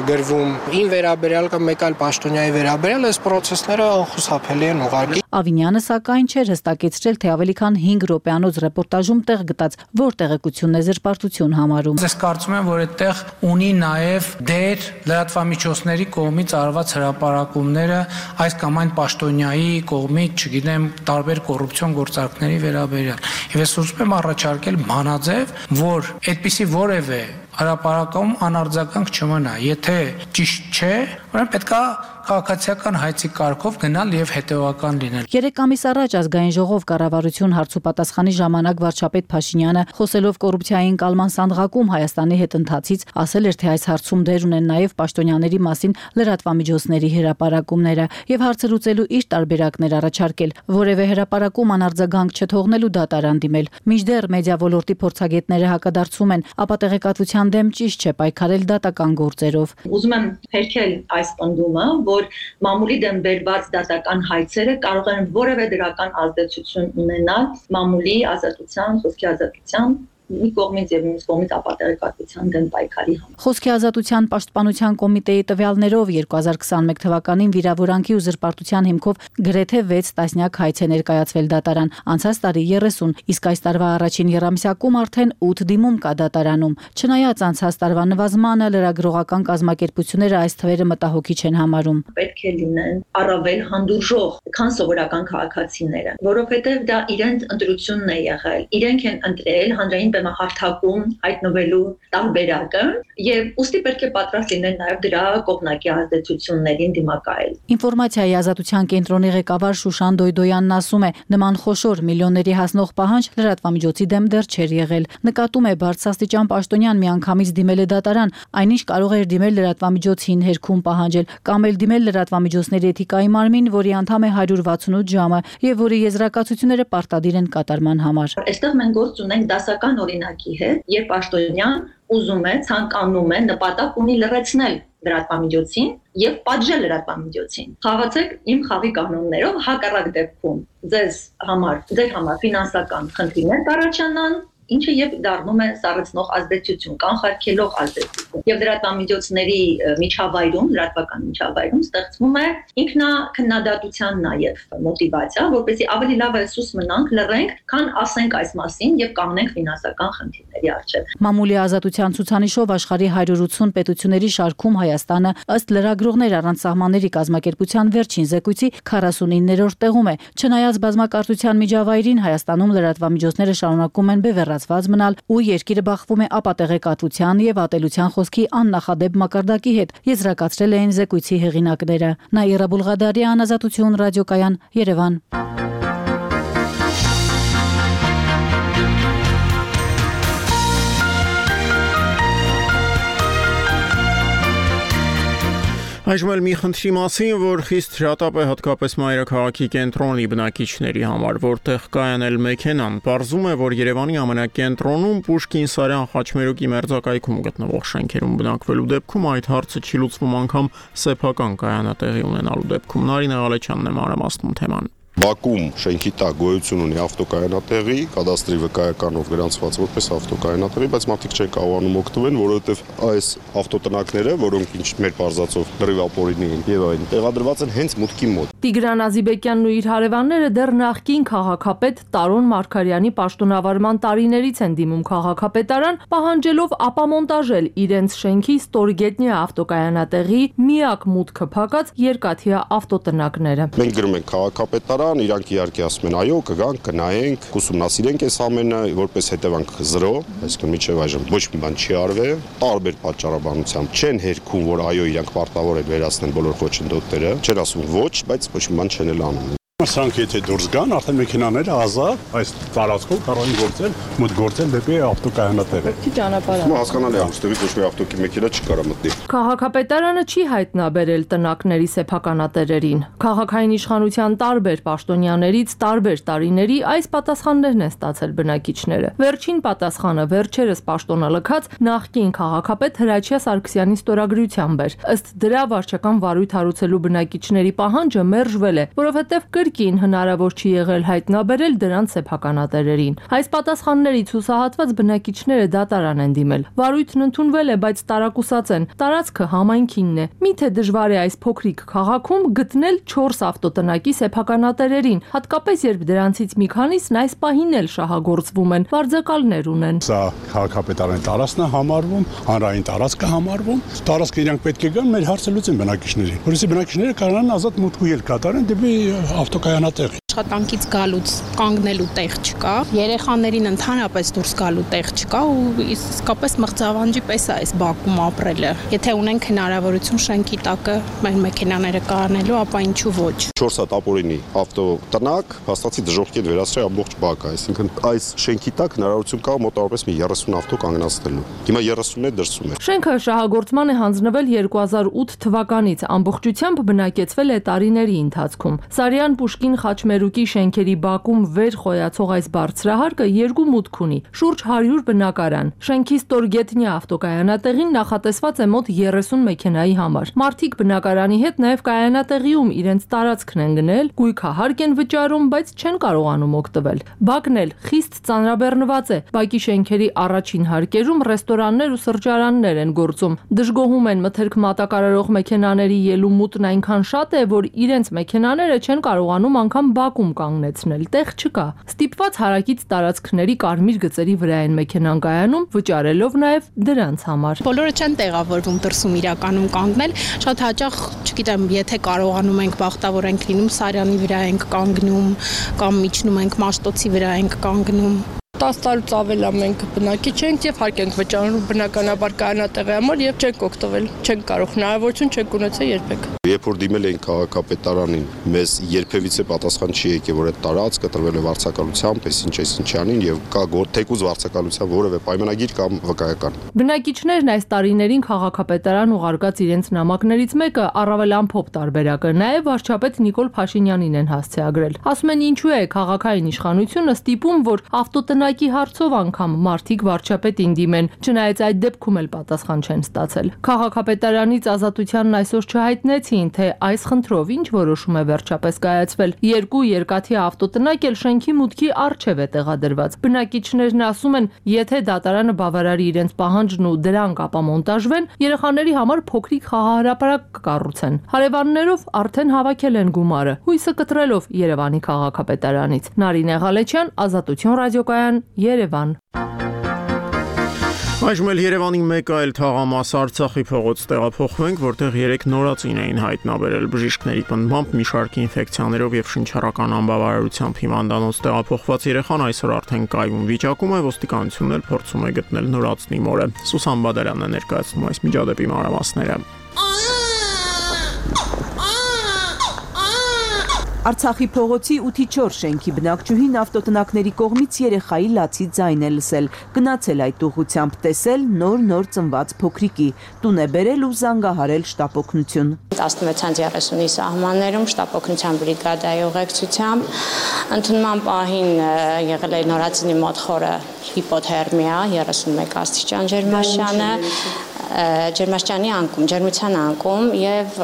գրվում ին վերաբերյալ կամ մեկ այլ պաշտոնյայի վերաբերյալ, այս process-ները անխուսափելի են ուղղակի։ Ավինյանը սակայն չէր հստակեցրել, թե ավելի քան հինգ րոպեանոց ռեպորտաժում տեղ գտած որ տեղեկությունն է զրպարտություն համարում։ Ես կարծում եմ, որ այդտեղ ունի նաև դեր լրատվամիջոցների կողմից արված հրապարակումները այս կամ այն պաշտոնյայի կողմից, չգիտեմ, տարբեր կոռուպցիոն գործարքների վերաբերյալ։ Եվ ես ուզում եմ առաջարկել մանաձև, որ այդպիսի որևէ հրապարակում անարձագանք չմնա։ Եթե ճիշտ չէ, ուրեմն պետքա քաղաքացիական հայցի կարգով գնալ եւ հետեւական լինել։ Երեք ամիս առաջ ազգային ժողով կառավարություն հարցուպատասխանի ժամանակ վարչապետ Փաշինյանը խոսելով կոռուպցիայի ընկալման սանդղակում Հայաստանի հետ ընթացից ասել էր, թե այս հարցում դեր ունեն նաեւ պաշտոնյաների մասին լրատվամիջոցների հրապարակումները եւ հարցը լուծելու իր տարբերակներ առաջարկել, որևէ հրապարակում անարձագանք չթողնելու դատարան դիմել։ Մինչդեռ մեդիա ոլորտի փորձագետները հակադարձում են, ապա տեղեկատվության դեմ ճիշտ չէ պայքարել դատական գործերով։ Ուզում եմ հերքել այս պնդումը, որ մամուլի դեմ բերված դատական հայցերը կարող են որևէ դրական ազդեցություն ունենալ մամուլի ազատության, խոսքի ազատության մի կողմից եւ մյուս կողմից ապատեղեկատվության դեմ պայքարի համար։ Խոսքի ազատության պաշտպանության կոմիտեի տվյալներով երկու հազար քսաներկու թվականին վիրավորանքի ու զրպարտության հիմքով գրեթե վեց տասնյակ հայց է ներկայացվել դատարան, անցած տարի երեսուն, իսկ այս տարվա առաջին եռամիսակում արդեն ութ դիմում կա դատարանում։ Չնայած անցած տարվա նվազմանը լրագրողական կազմակերպությունները այս թվերը մտահոգիչ են համարում։ Պետք է լինեն առավել հանդուրժող, քան սովորական քաղաքացիները, որովհետեւ դա իրենց ընտրությունն է եղել, իրենք են ընտրել հանրային բեմահարթակում հայտնվելու տարբերակը եւ ուստի պետք է պատրաստ լինեն նաեւ դրա կողմնակի ազդեցություններին դիմակայել։ Ինֆորմացիայի ազատության կենտրոնի ղեկավար Շուշան Դոյդոյանն ասում է, նման խոշոր միլիոնների հասնող պահանջ լրատվամիջոցի դեմ դեռ չէր եղել։ Նկատում է բարձրաստիճան պաշտոնյան միանգամից դիմել է դատարան, այնինչ կարող էր դիմել լրատվամիջոցին հերքում պահանջել կամ էլ դիմել լրատվամիջոցների էթիկայի մարմին, որի անդամ է հարյուր վաթսունութ ժամը եւ որի եզրակացությունները պարտադիր են կատարման համար։ Այստեղ մենք գործ ունենք դասական օրինակի հետ, երբ պաշտոնյան ուզում է, ցանկանում է, նպատակ ունի լրացնել լրատվամիջոցին եւ պատժել լրատվամիջոցին։ Խաղացեք իմ խաղի կանոններով, հակառակ դեպքում ձեզ համար, ձեր համար ֆինանսական խնդիրներ կառաջանան, ինչը եւ դառնում է սառեցնող ազդեցություն, կանխարգելող ազդեցություն։ Եվ լրատվամիջոցների միջավայրում, լրատվական միջավայրում ստեղծվում է ինքնակնդատության նաեւ մոտիվացիա, որպեսզի ավելի լավ եսուս մնանք, լռենք, քան ասենք այս մասին եւ կանգնենք ֆինանսական խնդիրների առջեւ։ Մամուլի ազատության ցուցանիշով աշխարհի հարյուր ութսուն պետությունների շարքում Հայաստանը ըստ լրագրողներ առանց սահմանների կազմակերպության վերջին զեկույցի քառասունիններորդ տեղում է։ Չնայած բազմակարծության միջավայրին Հայաստանում լրատվամիջոցները շարունակում են բևեռացված մնալ ու երկիրը բախվում է ապատեղեկատվության եւ ատելության խոսքի աննախադեպ մակարդակի հետ, եզրակացրել էին զեկույցի հեղինակները։ Նաիրա Բուլղադարյան, Ազատություն ռադիոկայան, Երևան։ Այժմ էլ մի խնդրի մասին, որ խիստ հրատապ է հատկապես մայրաքաղաքի կենտրոնի բնակիչների համար, որտեղ կայանել մեքենան, պարզում է, որ Երևանի ամենակենտրոնում Պուշկին-Սարյան խաչմերուկի մերձակայքում գտնվող շենքերում բնակվելու դեպքում այդ հարցը չի լուծվում անգամ սեփական կայանատեղի ունենալու դեպքում։ Նարինե Ղալեչյանն է մանրամասնում թեման։ Բաքում շենքի տակ գոյություն ունի ավտոկայանատեղի, կադաստրի վկայականով գրանցված որպես ավտոկայանատեղի, բայց մարդիկ չեն կարողանում օգտվել, որովհետև այս ավտոտնակները, որոնք ինչ մեր բարձացով լրիվ ապօրինի են եւ այն տեղադրված են հենց մուտքի մոտ։ Տիգրան Ազիբեկյանն ու իր հարևանները դեռ նախկին քաղաքապետ Տարոն Մարգարյանի պաշտոնավարման տարիներից են դիմում քաղաքապետարան, պահանջելով ապամոնտաժել իրենց շենքի ստորգետնյա ավտոկայանատեղի միակ մուտքը փակած երկաթյա ավտոտնակները։ Մենք գրում ենք քաղաքապետարան, իրանք իհարկե ասում են այո, կգանք, կնայենք, կուսումնասիրենք այս ամենը, որպես հետևանք զրո, այսինքն մինչև այժմ ոչ մի բան չի արվել, տարբեր պատճառաբանությամբ չեն հերքում, որ այո, իրանք պարտավոր են վերացնեն բոլոր խոչընդոտները, չեն ասում ոչ, բայց ոչ մի բան չեն էլ անում։ Սրանք եթե դուրս գան, արդեն մեքենաները ազատ այս տարածքով կարող են գործել, մոտ գործել դեպի ավտոկայանատերը։ Չի ճանապարհ։ Ու հասկանալի է, այստեղից ոչ մի ավտոկի մեքենա չկարա մտնի։ Քաղաքապետարանը չի հայտնաբերել տնակների սեփականատերերին։ Քաղաքային իշխանության տարբեր պաշտոնյաներից տարբեր տարիների այս պատասխաններն են ստացել բնակիչները։ Վերջին պատասխանը վերջերս պաշտոնալքած նախկին քաղաքապետ Հրաչյա Սարգսյանի ստորագրությամբ էր։ Ըստ դրա վարչական վարույթ հարուցելու բնակիչների պահանջը մերժվել է, որովհետև կրկին հնարավոր չի եղել հայտնաբերել դրանց սեփականատերերին։ Այս պատասխաններից հուսահատված բնակիչները դատարան են դիմել։ Վարույթն ընդունվել է, բայց տարակուսած են։ Տարածքը համայնքինն է։ Միթե դժվար է այս փոքրիկ քաղաքում գտնել չորս ավտոտնակի սեփականատերերին, հատկապես երբ դրանցից մի քանիսն այս պահին էլ շահագործվում են, վարձակալներ ունեն։ Սա քաղաքապետարանի տարածքն է համարվում, հանրային տարածք է համարվում։ Տարածքը իրանք պետք է գան մեր հարցը լուծեն բնակիչներին, որովհետեւ բնակիչները կարողան ազատ մուտք ու ելք կատարեն դեպի ավտոկայանատեղ։ Աշխատանքից գալուց կանգնելու տեղ չկա, երեխաներին ընդհանրապես դուրս գալու տեղ չկա ու իսկապես մղձավանջի պես է այս բակում ապրելը։ Եթե ունենք հնարավորություն շենքի տակը մեր մեքենաները կառնելու, ապա ինչու ոչ։ չորս հատ ապօրինի ավտոտնակ հաստատի դժոխքի հետ վերացրել ամբողջ բակը, այսինքն այս շենքի տակ հնարավորություն կա մոտավորապես մի երեսուն ավտո կանգնացնելու։ Հիմա երեսունն է դրսում է։ Շենքը շահագործման է հանձնվել երկու հազար ութ թվականից, ամբողջությամբ բնակեցվել է տարիների ընթացքում։ Սարյան Պուշկին Խաչմերուկի շենքերի բակում վեր խոյացող այս բարձրահարկը երկու մուտք ունի՝ շուրջ հարյուր բնակարան։ Շենքի ստորգետնյա ավտոկայանատեղին նախատեսված է մոտ երեսուն մեքենայի համար։ Մարդիկ բնակարանի հետ նաև կայանատեղիում իրենց տարածքն են գնել, գույքահարկ են վճարում, բայց չեն կարողանում օգտվել։ Բակն էլ խիստ ծանրաբեռնված է։ Բակի շենքերի առաջին հարկերում ռեստորաններ ու սրճարաններ են գործում։ Դժգոհում են մթերք մատակարարող մեքենաների ելումուտն այնքան շատ է, որ իրենց մեքենաները չեն կարողանում անգամ բակում կանգնեցնել, տեղ չկա։ Ստիպված հարակից տարածքների կարմիր գծերի վրա են մեքենան կայանում, վճարելով նաև դրանց համար։ Բոլորը չեն տեղավորվում դրսում իրականում կանգնել, շատ հաճախ, չգիտեմ, եթե կարողանում ենք բախտավոր ենք լինում, Սարյանի վրա ենք կանգնում կամ միջնում ենք Մաշտոցի վրա ենք կանգնում։ տասը տարուց ավել է մենք բնակիչ ենք եւ հարկ ենք վճարում բնականաբար կանատեղի համար եւ չենք օգտվել, չենք կարող, հնարավորություն չենք ունեցել երբեք։ Երբ որ դիմել էին քաղաքապետարանին, մեզ երբևիցե պատասխան չի եկել, որ այդ տարածքը տրվել է վարձակալությամբ, այսինչ այսինչյանին եւ կա թեկուզ վարձակալության որևէ պայմանագիր կամ վկայական։ Բնակիչներն այս տարիներին քաղաքապետարան ուղարկած իրենց նամակներից մեկը առավել ամփոփ տարբերակը նաեւ վարչապետ Նիկոլ Փաշինյանին են հասցեագրել։ Ասում են ինչու է քաղաքային իշխանությունը ստիպում, որ ավտոտնակ հարցով անգամ մարդիկ վարչապետին դիմեն, չնայած այդ դեպքում էլ պատասխան չեն ստացել։ Քաղաքապետարանից Ազատությանն այսօր չհայտնեցին, թե այս խնդրով ինչ որոշում է վերջապես կայացվել։ Երկու երկաթի ավտոտնակ էլ շենքի մուտքի առջև է տեղադրված։ Բնակիչներն ասում են, եթե դատարանը բավարարի իրենց պահանջն ու դրանք ապամոնտաժվեն, երեխաների համար փոքրիկ խաղահրապարակ կկառուցեն։ Հարևաններով արդեն հավաքել են գումարը, հույսը կտրելով Երևանի քաղաքապետարանից։ Նարինե Ղալեչյան, Ազատություն ռադիոկայան, Երևան։ Այժմ էլ Երևանի մեկ այլ թաղամաս Արցախի փողոց տեղափոխվենք, որտեղ երեք նորածին էին հայտնաբերել բժիշկների պնդմամբ մի շարք ինֆեկցիաներով եւ շնչառական անբավարարությամբ հիվանդանոց տեղափոխված երեխան այսօր արդեն կայուն վիճակում է, ոստիկանությունն էլ փորձում է գտնել նորածնի մորը։ Սուսան Բադալյանն է ներկայացնում այս միջադեպի մանրամասները։ Արցախի փողոցի ութի չորս շենքի բնակչուհին ավտոտնակների կողմից երեխայի լացի ձայն է լսել, գնացել այդ ուղղությամբ, տեսել նոր-նոր ծնված փոքրիկի, տուն է բերել ու զանգահարել շտապօգնություն։ տասնվեց երեսունի սահմաններում շտապօգնության բրիգադայի ուղեկցությամբ ընդունման պահին եղել է նորածինի մոտ խորը հիպոթերմիա, երեսունմեկ աստիճան ջերմաստիճանը, ջերմաստիճանի անկում, ջերմության անկում եւ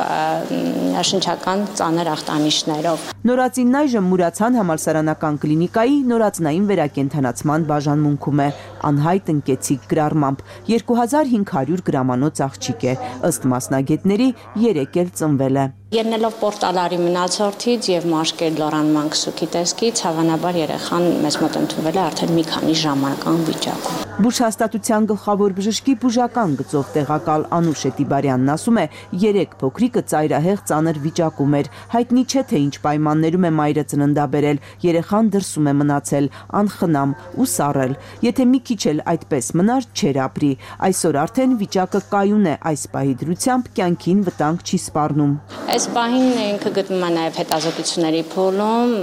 շնչական ծանր ախտանիշներով։ Նորածինն այժմ Մուրացյան համալսարանական կլինիկայի նորածնային վերակենդանացման բաժանմունքում է, անհայտ ընկեցիկ գրառմամբ, երկու հազար հինգ հարյուր գրամանոց աղջիկ է, ըստ մասնագետների երեք էլ ծնվել է։ Ելնելով պորտալարի մնացորդից եւ մաշկել լորանման քսուքի տեսքից, հավանաբար երեխան մեզ մոտ ընդունվել է արդեն մի քանի ժամանական վիճակում։ Բուժհաստատության գլխավոր բժշկի բուժական գծով տեղակալ Անուշ Էտիբարյանն ասում է, երեք փոքրիկը ծայրահեղ ծանր վիճակում էր։ Հայտնի չէ թե ինչ պայմաններում է մայրը ծննդաբերել, երեխան դրսում է մնացել, անխնամ ու սառել։ Եթե մի քիչ էլ այդպես մնար, չէր ապրի։ Այսօր արդեն վիճակը կայուն է, այս պահի դրությամբ կյանքին վտանգ չի սպառնում։ Այս պահին ինքը գտնում է նաև հետազոտությունների փուլում,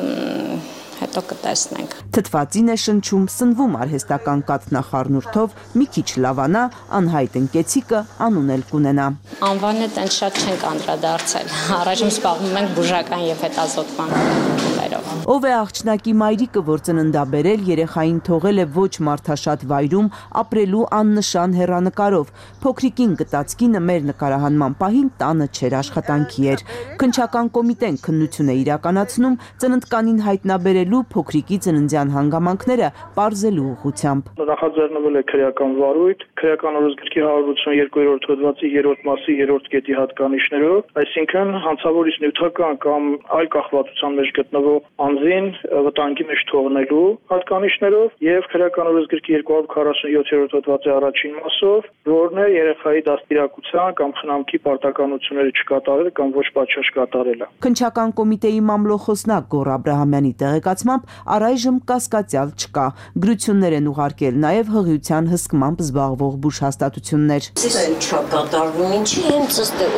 հետո կտեսնենք։ Թթվածին է շնչում, սնվում արհեստական կաթնախառնուրդով, մի քիչ լավանա, անհայտ ընկեցիկը անուն էլ կունենա։ Անվանը տենց շատ չենք անդրադարձել։ Առաջին զբաղվում ենք բուժական եւ հետազոտման փուլերով։ Ով է աղջնակի մայրիկը, որ ծննդաբերել, երեխային թողել է ոչ մարդաշատ վայրում, ապրելու աննշան հեռանկարով։ Փոքրիկին գտած կինը մեր նկարահանման պահին տանը չէր, աշխատանքի էր։ Քննչական կոմիտեն քննություն է իրականացնում ծննդկանին հայտնաբերելու փոքրիկի ծննդյան հանգամանքները պարզելու ուղղությամբ։ Նախաձեռնվել է քրեական վարույթ, քրեական օրենսգրքի հարյուր ութսուներկու հոդվածի երրորդ մասի երրորդ կետի հատկանիշներով, այսինքն հանցավորից նյութական կամ այլ կախվածության մեջ գտնվող անձին վտանգի մեջ թողնելու հատկանիշներով եւ քրեական օրենսգրքի երկու հարյուր քառասունյոթ հոդվածի առաջին մասով, որն է երեխայի դաստիարակության կամ խնամքի պարտականությունները չկատարելը կամ ոչ պատշաճ կատարելը։ Քննչական կոմիտեի մամլոխոսնակ Գոռ Աբրահամյանի տեղեկացմամբ առայժմ կասկածյալ չկա։ Գրություններ են ուղարկել նաև հղիության հսկմամբ զբաղվող բուժհաստատություններ։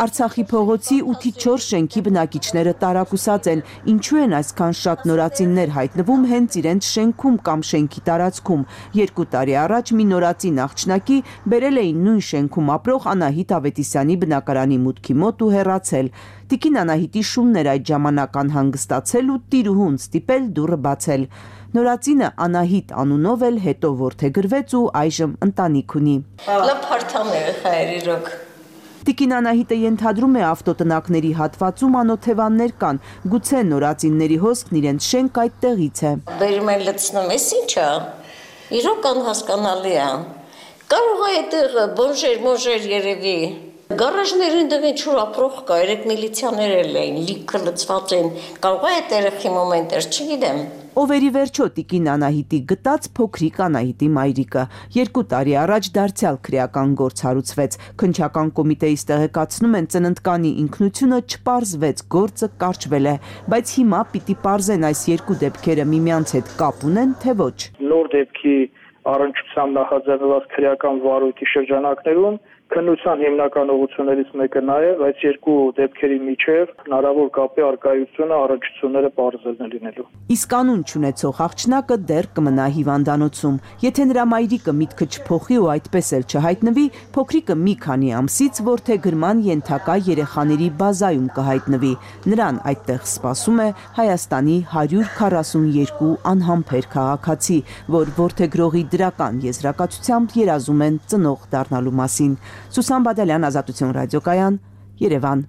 Արցախի փողոցի ութի չորս շենքի բնակիչները տարակուսած են, ինչու են այսքան շատ նորածիններ հայտնվում հենց իրենց շենքում կամ շենքի տարածքում։ Երկու տարի առաջ մի նորածին աղջնակի բերել էին նույն շենքում ապրող Անահիտ Ավետիսյանի բնակարանի մուտքի մոտ ու հեռացել։ Տիկին Անահիտի շունն էր այդ ժամանակ անհանգստացել ու տիրուհուն ստիպել դուռը բացել։ Նորածինը Անահիտ անունով էլ հետո որդեգրվեց ու այժմ ընտանիք ունի։ Տիկին Անահիտը ենթադրում է ավտոտնակների հատվածում անօթևաններ կան, գուցե նորածինների հոսքն իրենց շենք այդտեղից է։ Բերում են լցնում, էս ինչ է։ Իրոք անհասկանալի է։ Կարող է այդտեղ բոնժեր, մոնժեր երևի։ Գարաժներին դեպի չուր ապրող կա, երեք միլիցիաներ էին, լիքը լցված են, կարող է այդ երեխի մոմենտեր, չգիտեմ։ Ովերի վերջո տիկին Անահիտի գտած փոքրիկ Անահիտի մայրիկը երկու տարի առաջ դարձյալ քրեական գործ հարուցվեց։ Քննչական կոմիտեից տեղեկացնում են ծննդկանի ինքնությունը չպարզվեց, գործը կարճվել է, բայց հիմա պիտի պարզեն այս երկու դեպքերը միմյանց հետ կապ ունեն, թե ոչ։ Նոր դեպքի առնչությամբ նախաձեռնված քրեական վարույթի շրջանակներում քննության հիմնական ուղղություններից մեկը նաև այս երկու դեպքերի միջև հնարավոր կապի առկայությունը առնչությունները պարզելն է լինելու։ Իսկ անուն չունեցող աղջնակը դեռ կմնա հիվանդանոցում։ Եթե նրա մայրիկը միտքը չփոխի ու այդպես էլ չհայտնվի, փոքրիկը մի քանի ամսից որդեգրման ենթակա երեխաների բազայում կհայտնվի։ Նրան այդտեղ սպասում է Հայաստանի հարյուր քառասունյոթ անհամբեր քաղաքացի, որ որդեգրողի դրական եզրակացությամբ երազում են ծնող դառնալու մասին։ Սուսան Բադալյան, Ազատություն ռադիոկայան, Երևան։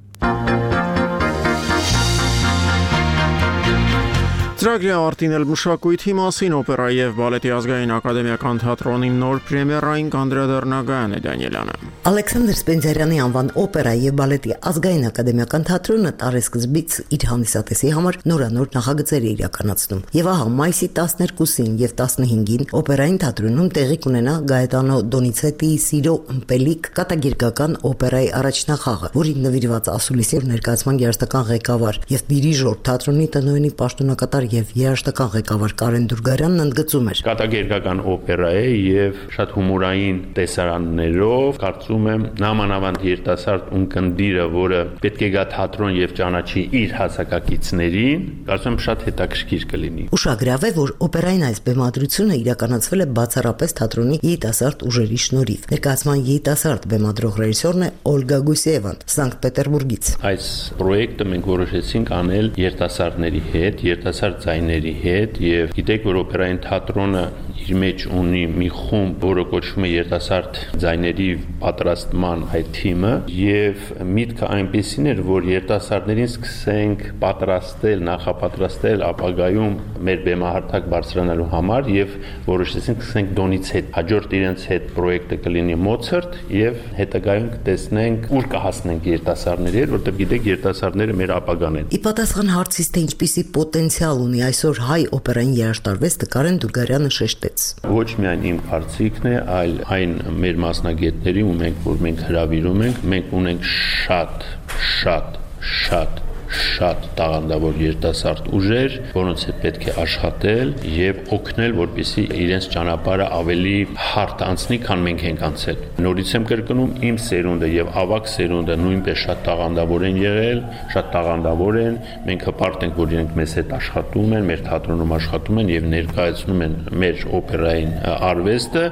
Ծրագրի ավարտին էլ մշակույթի մասին օպերայի եւ բալետի ազգային ակադեմիական թատրոնի նոր պրեմիերային կանդրադառնա Գայանե Դանիելյանը։ Ալեքսանդր Սպենդիարյանի անվան օպերայի եւ բալետի ազգային ակադեմիական թատրոնը տարեսկզբից իր հանդիսատեսի համար նորանոր նախագծեր է իրականացնում։ Եվ ահա մայիսի տասներկուսին եւ տասնհինգին օպերային թատրոնում տեղի կունենա Գայետանո Դոնիցետիի Սիրո ըմպելիք կատագիրկական օպերայի առաջնախաղը, որին նվիրված ասուլիսիվ ներկայացման երաժշտական ղեկավար եւ դիրիժոր թատրոնի տնօրենի պաշտոնակատար եւ երաժշտական ղեկավար Կարեն Դուրգարյանն ընդգծում էր. Կատագերգական օպերա է եւ շատ հումորային տեսարաններով, կարծում եմ նամանավանդ երիտասարդ ունկնդիրը, որը պետք է գա թատրոն եւ ճանաչի իր հասակակիցներին, կարծում եմ շատ հետաքրքիր կլինի։ Ուշագրավ է, որ օպերային այս բեմադրությունը իրականացվել է բացառապես թատրոնի երիտասարդ ուժերի շնորհիվ։ Ներկայացման երիտասարդ բեմադրող ռեժիսորն է Օլգա Գուսեևան, Սանկտ Պետերբուրգից։ Այս պրոյեկտը մենք որոշեցինք անել երիտասարդների հետ, երիտասարդ ձայների հետ եւ գիտեք, որ օպերային թատրոնը իր մեջ ունի մի խումբ, որը կոչվում է երիտասարդ ձայների պատրաստման այդ թիմը եւ միտքը այնպեսին էր, որ երիտասարդներին սկսենք պատրաստել, նախապատրաստել ապագայում մեր բեմահարթակ բարձրանալու համար եւ որոշեցինք սկսենք Դոնից հետ, հաջորդ իրենց հետ պրոյեկտը կլինի Մոցարտ եւ հետագայում կտեսնենք ուր կհասնենք երիտասարդների հետ, որտեղ գիտեք երիտասարդները մեր ապագան են։ Ի պատասխան հարցից, թե ինչպիսի պոտենցիալ ունի այսօր հայ օպերային երաժշտարվեստը, Կարեն Դուրգարյանը շեշտեց։ Ոչ միայն իմ կարծիքն է, այլ այն մեր մասնագետների, ու մենք որ մենք հրավիրում ենք, մենք ունենք շատ, շատ, շատ շատ տաղանդավոր երիտասարդ ուժեր, որոնց հետ պետք է աշխատել եւ օգնել, որպեսզի իրենց ճանապարհը ավելի հարթ անցնի, քան մենք ենք անցել։ Նորից եմ կրկնում, իմ սերունդը եւ ավակ սերունդը նույնպես շատ տաղանդավոր են եղել, շատ տաղանդավոր են։ Մենք հպարտ ենք, որ իրենք մեզ հետ աշխատում են, մեր թատրոնում աշխատում են եւ ներկայացնում են մեր օպերային արվեստը,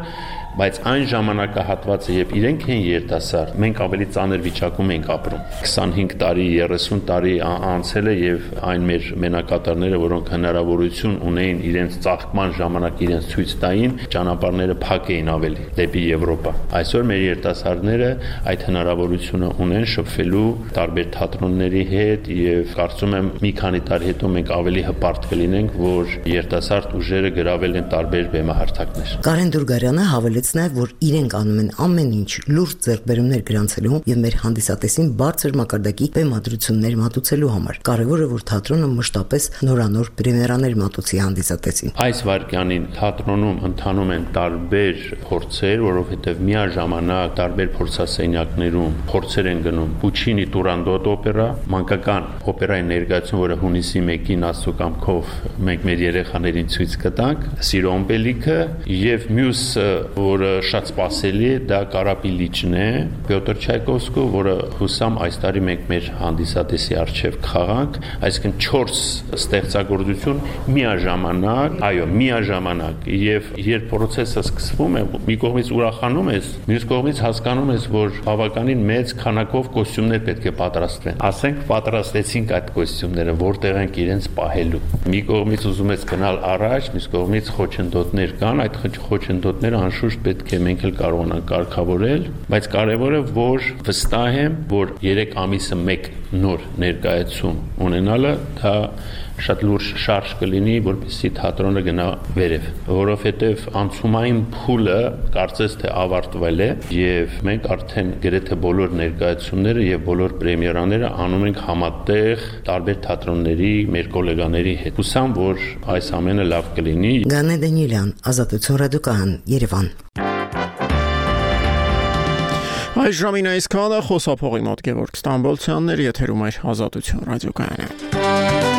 բայց այն ժամանակահատվածը, երբ իրենք են երիտասարդ, մենք ավելի ծանր վիճակում ենք ապրում։ քսանհինգ տարի, երեսուն տարի անցել է եւ այն մեր մենակատարները, որոնք հնարավորություն ունեին իրենց ծաղկման ժամանակ իրենց ցույց տային, ճանապարհները փակ էին ավելի դեպի Եվրոպա։ Այսօր մեր երիտասարդները այդ հնարավորությունը ունեն շփվելու տարբեր թատրոնների հետ եւ կարծում եմ մի քանի տարի հետո մենք ավելի հպարտ կլինենք, որ երիտասարդ ուժերը գրավել են տարբեր բեմահարթակներ։ Կարեն Դուրգարյանը հավելեց նաև, որ իրենք անում են ամեն ինչ լուրջ ձեռքբերումներ գրանցելու եւ մեր հանդիսատեսին բարձր մակարդակի բեմադրություններ մատուցելու համար։ Կարևորը, որ թատրոնը մշտապես նորանոր պրեմիերաներ մատուցի հանդիսատեսին։ Այս վարկյանին թատրոնում ընթանում են տարբեր փորձեր, որովհետեւ միաժամանակ տարբեր փորձասենյակներում փորձեր են գնում Պուչինի Տուրանդոտ օպերա, մանկական օպերայի ներկայացում, որը հունիսի մեկին Աստծո կամքով մենք մեր երեխաներին ցույց կտանք, Սիրոմպելիքը եւ մյուս որը շատ սպասելի է, դա Կարապիլիչն է, Պյոտր Չայկովսկու, որը հուսամ այս տարի մենք մեր հանդիսատեսի առջև կխաղանք, այսինքն չորս ստեղծագործություն միաժամանակ, այո, միաժամանակ, եւ երբ process-ը սկսվում է, մի կողմից ուրախանում ես, մյուս կողմից հասկանում ես, որ բավականին մեծ քանակով կոստյումներ պետք է պատրաստվեն։ Ասենք պատրաստեցինք այդ կոստյումները, որտեղ ենք իրենց պահելու։ Մի կողմից ուզում ես գնալ առաջ, մյուս կողմից խոչընդոտներ կան, այդ խոչընդոտները անշուշտ պետք է մենք էլ կարողանանք կարգավորել, բայց կարևորը որ վստահ եմ, որ երեք ամիսը մեկ նոր ներկայացում ունենալը դա շատ լուրջ շարժ կլինի, որպեսզի թատրոնը գնա վերև, որովհետև անցումային փուլը կարծես թե ավարտվել է եւ մենք արդեն գրեթե բոլոր ներկայացումները եւ բոլոր պրեմիերաները անում ենք համատեղ տարբեր թատրոնների մեր գոլեգաների հետ։ Հուսամ, որ այս ամենը լավ կլինի։ Գանե Դանիելյան, Ազատություն ռադիոկայան, Երևան։ Այս ժամին այսքանը խոսափողի մոտ Գևորգ Ստամբոլցյանն էր, եթերում էր Ազատություն ռադիոկայանը։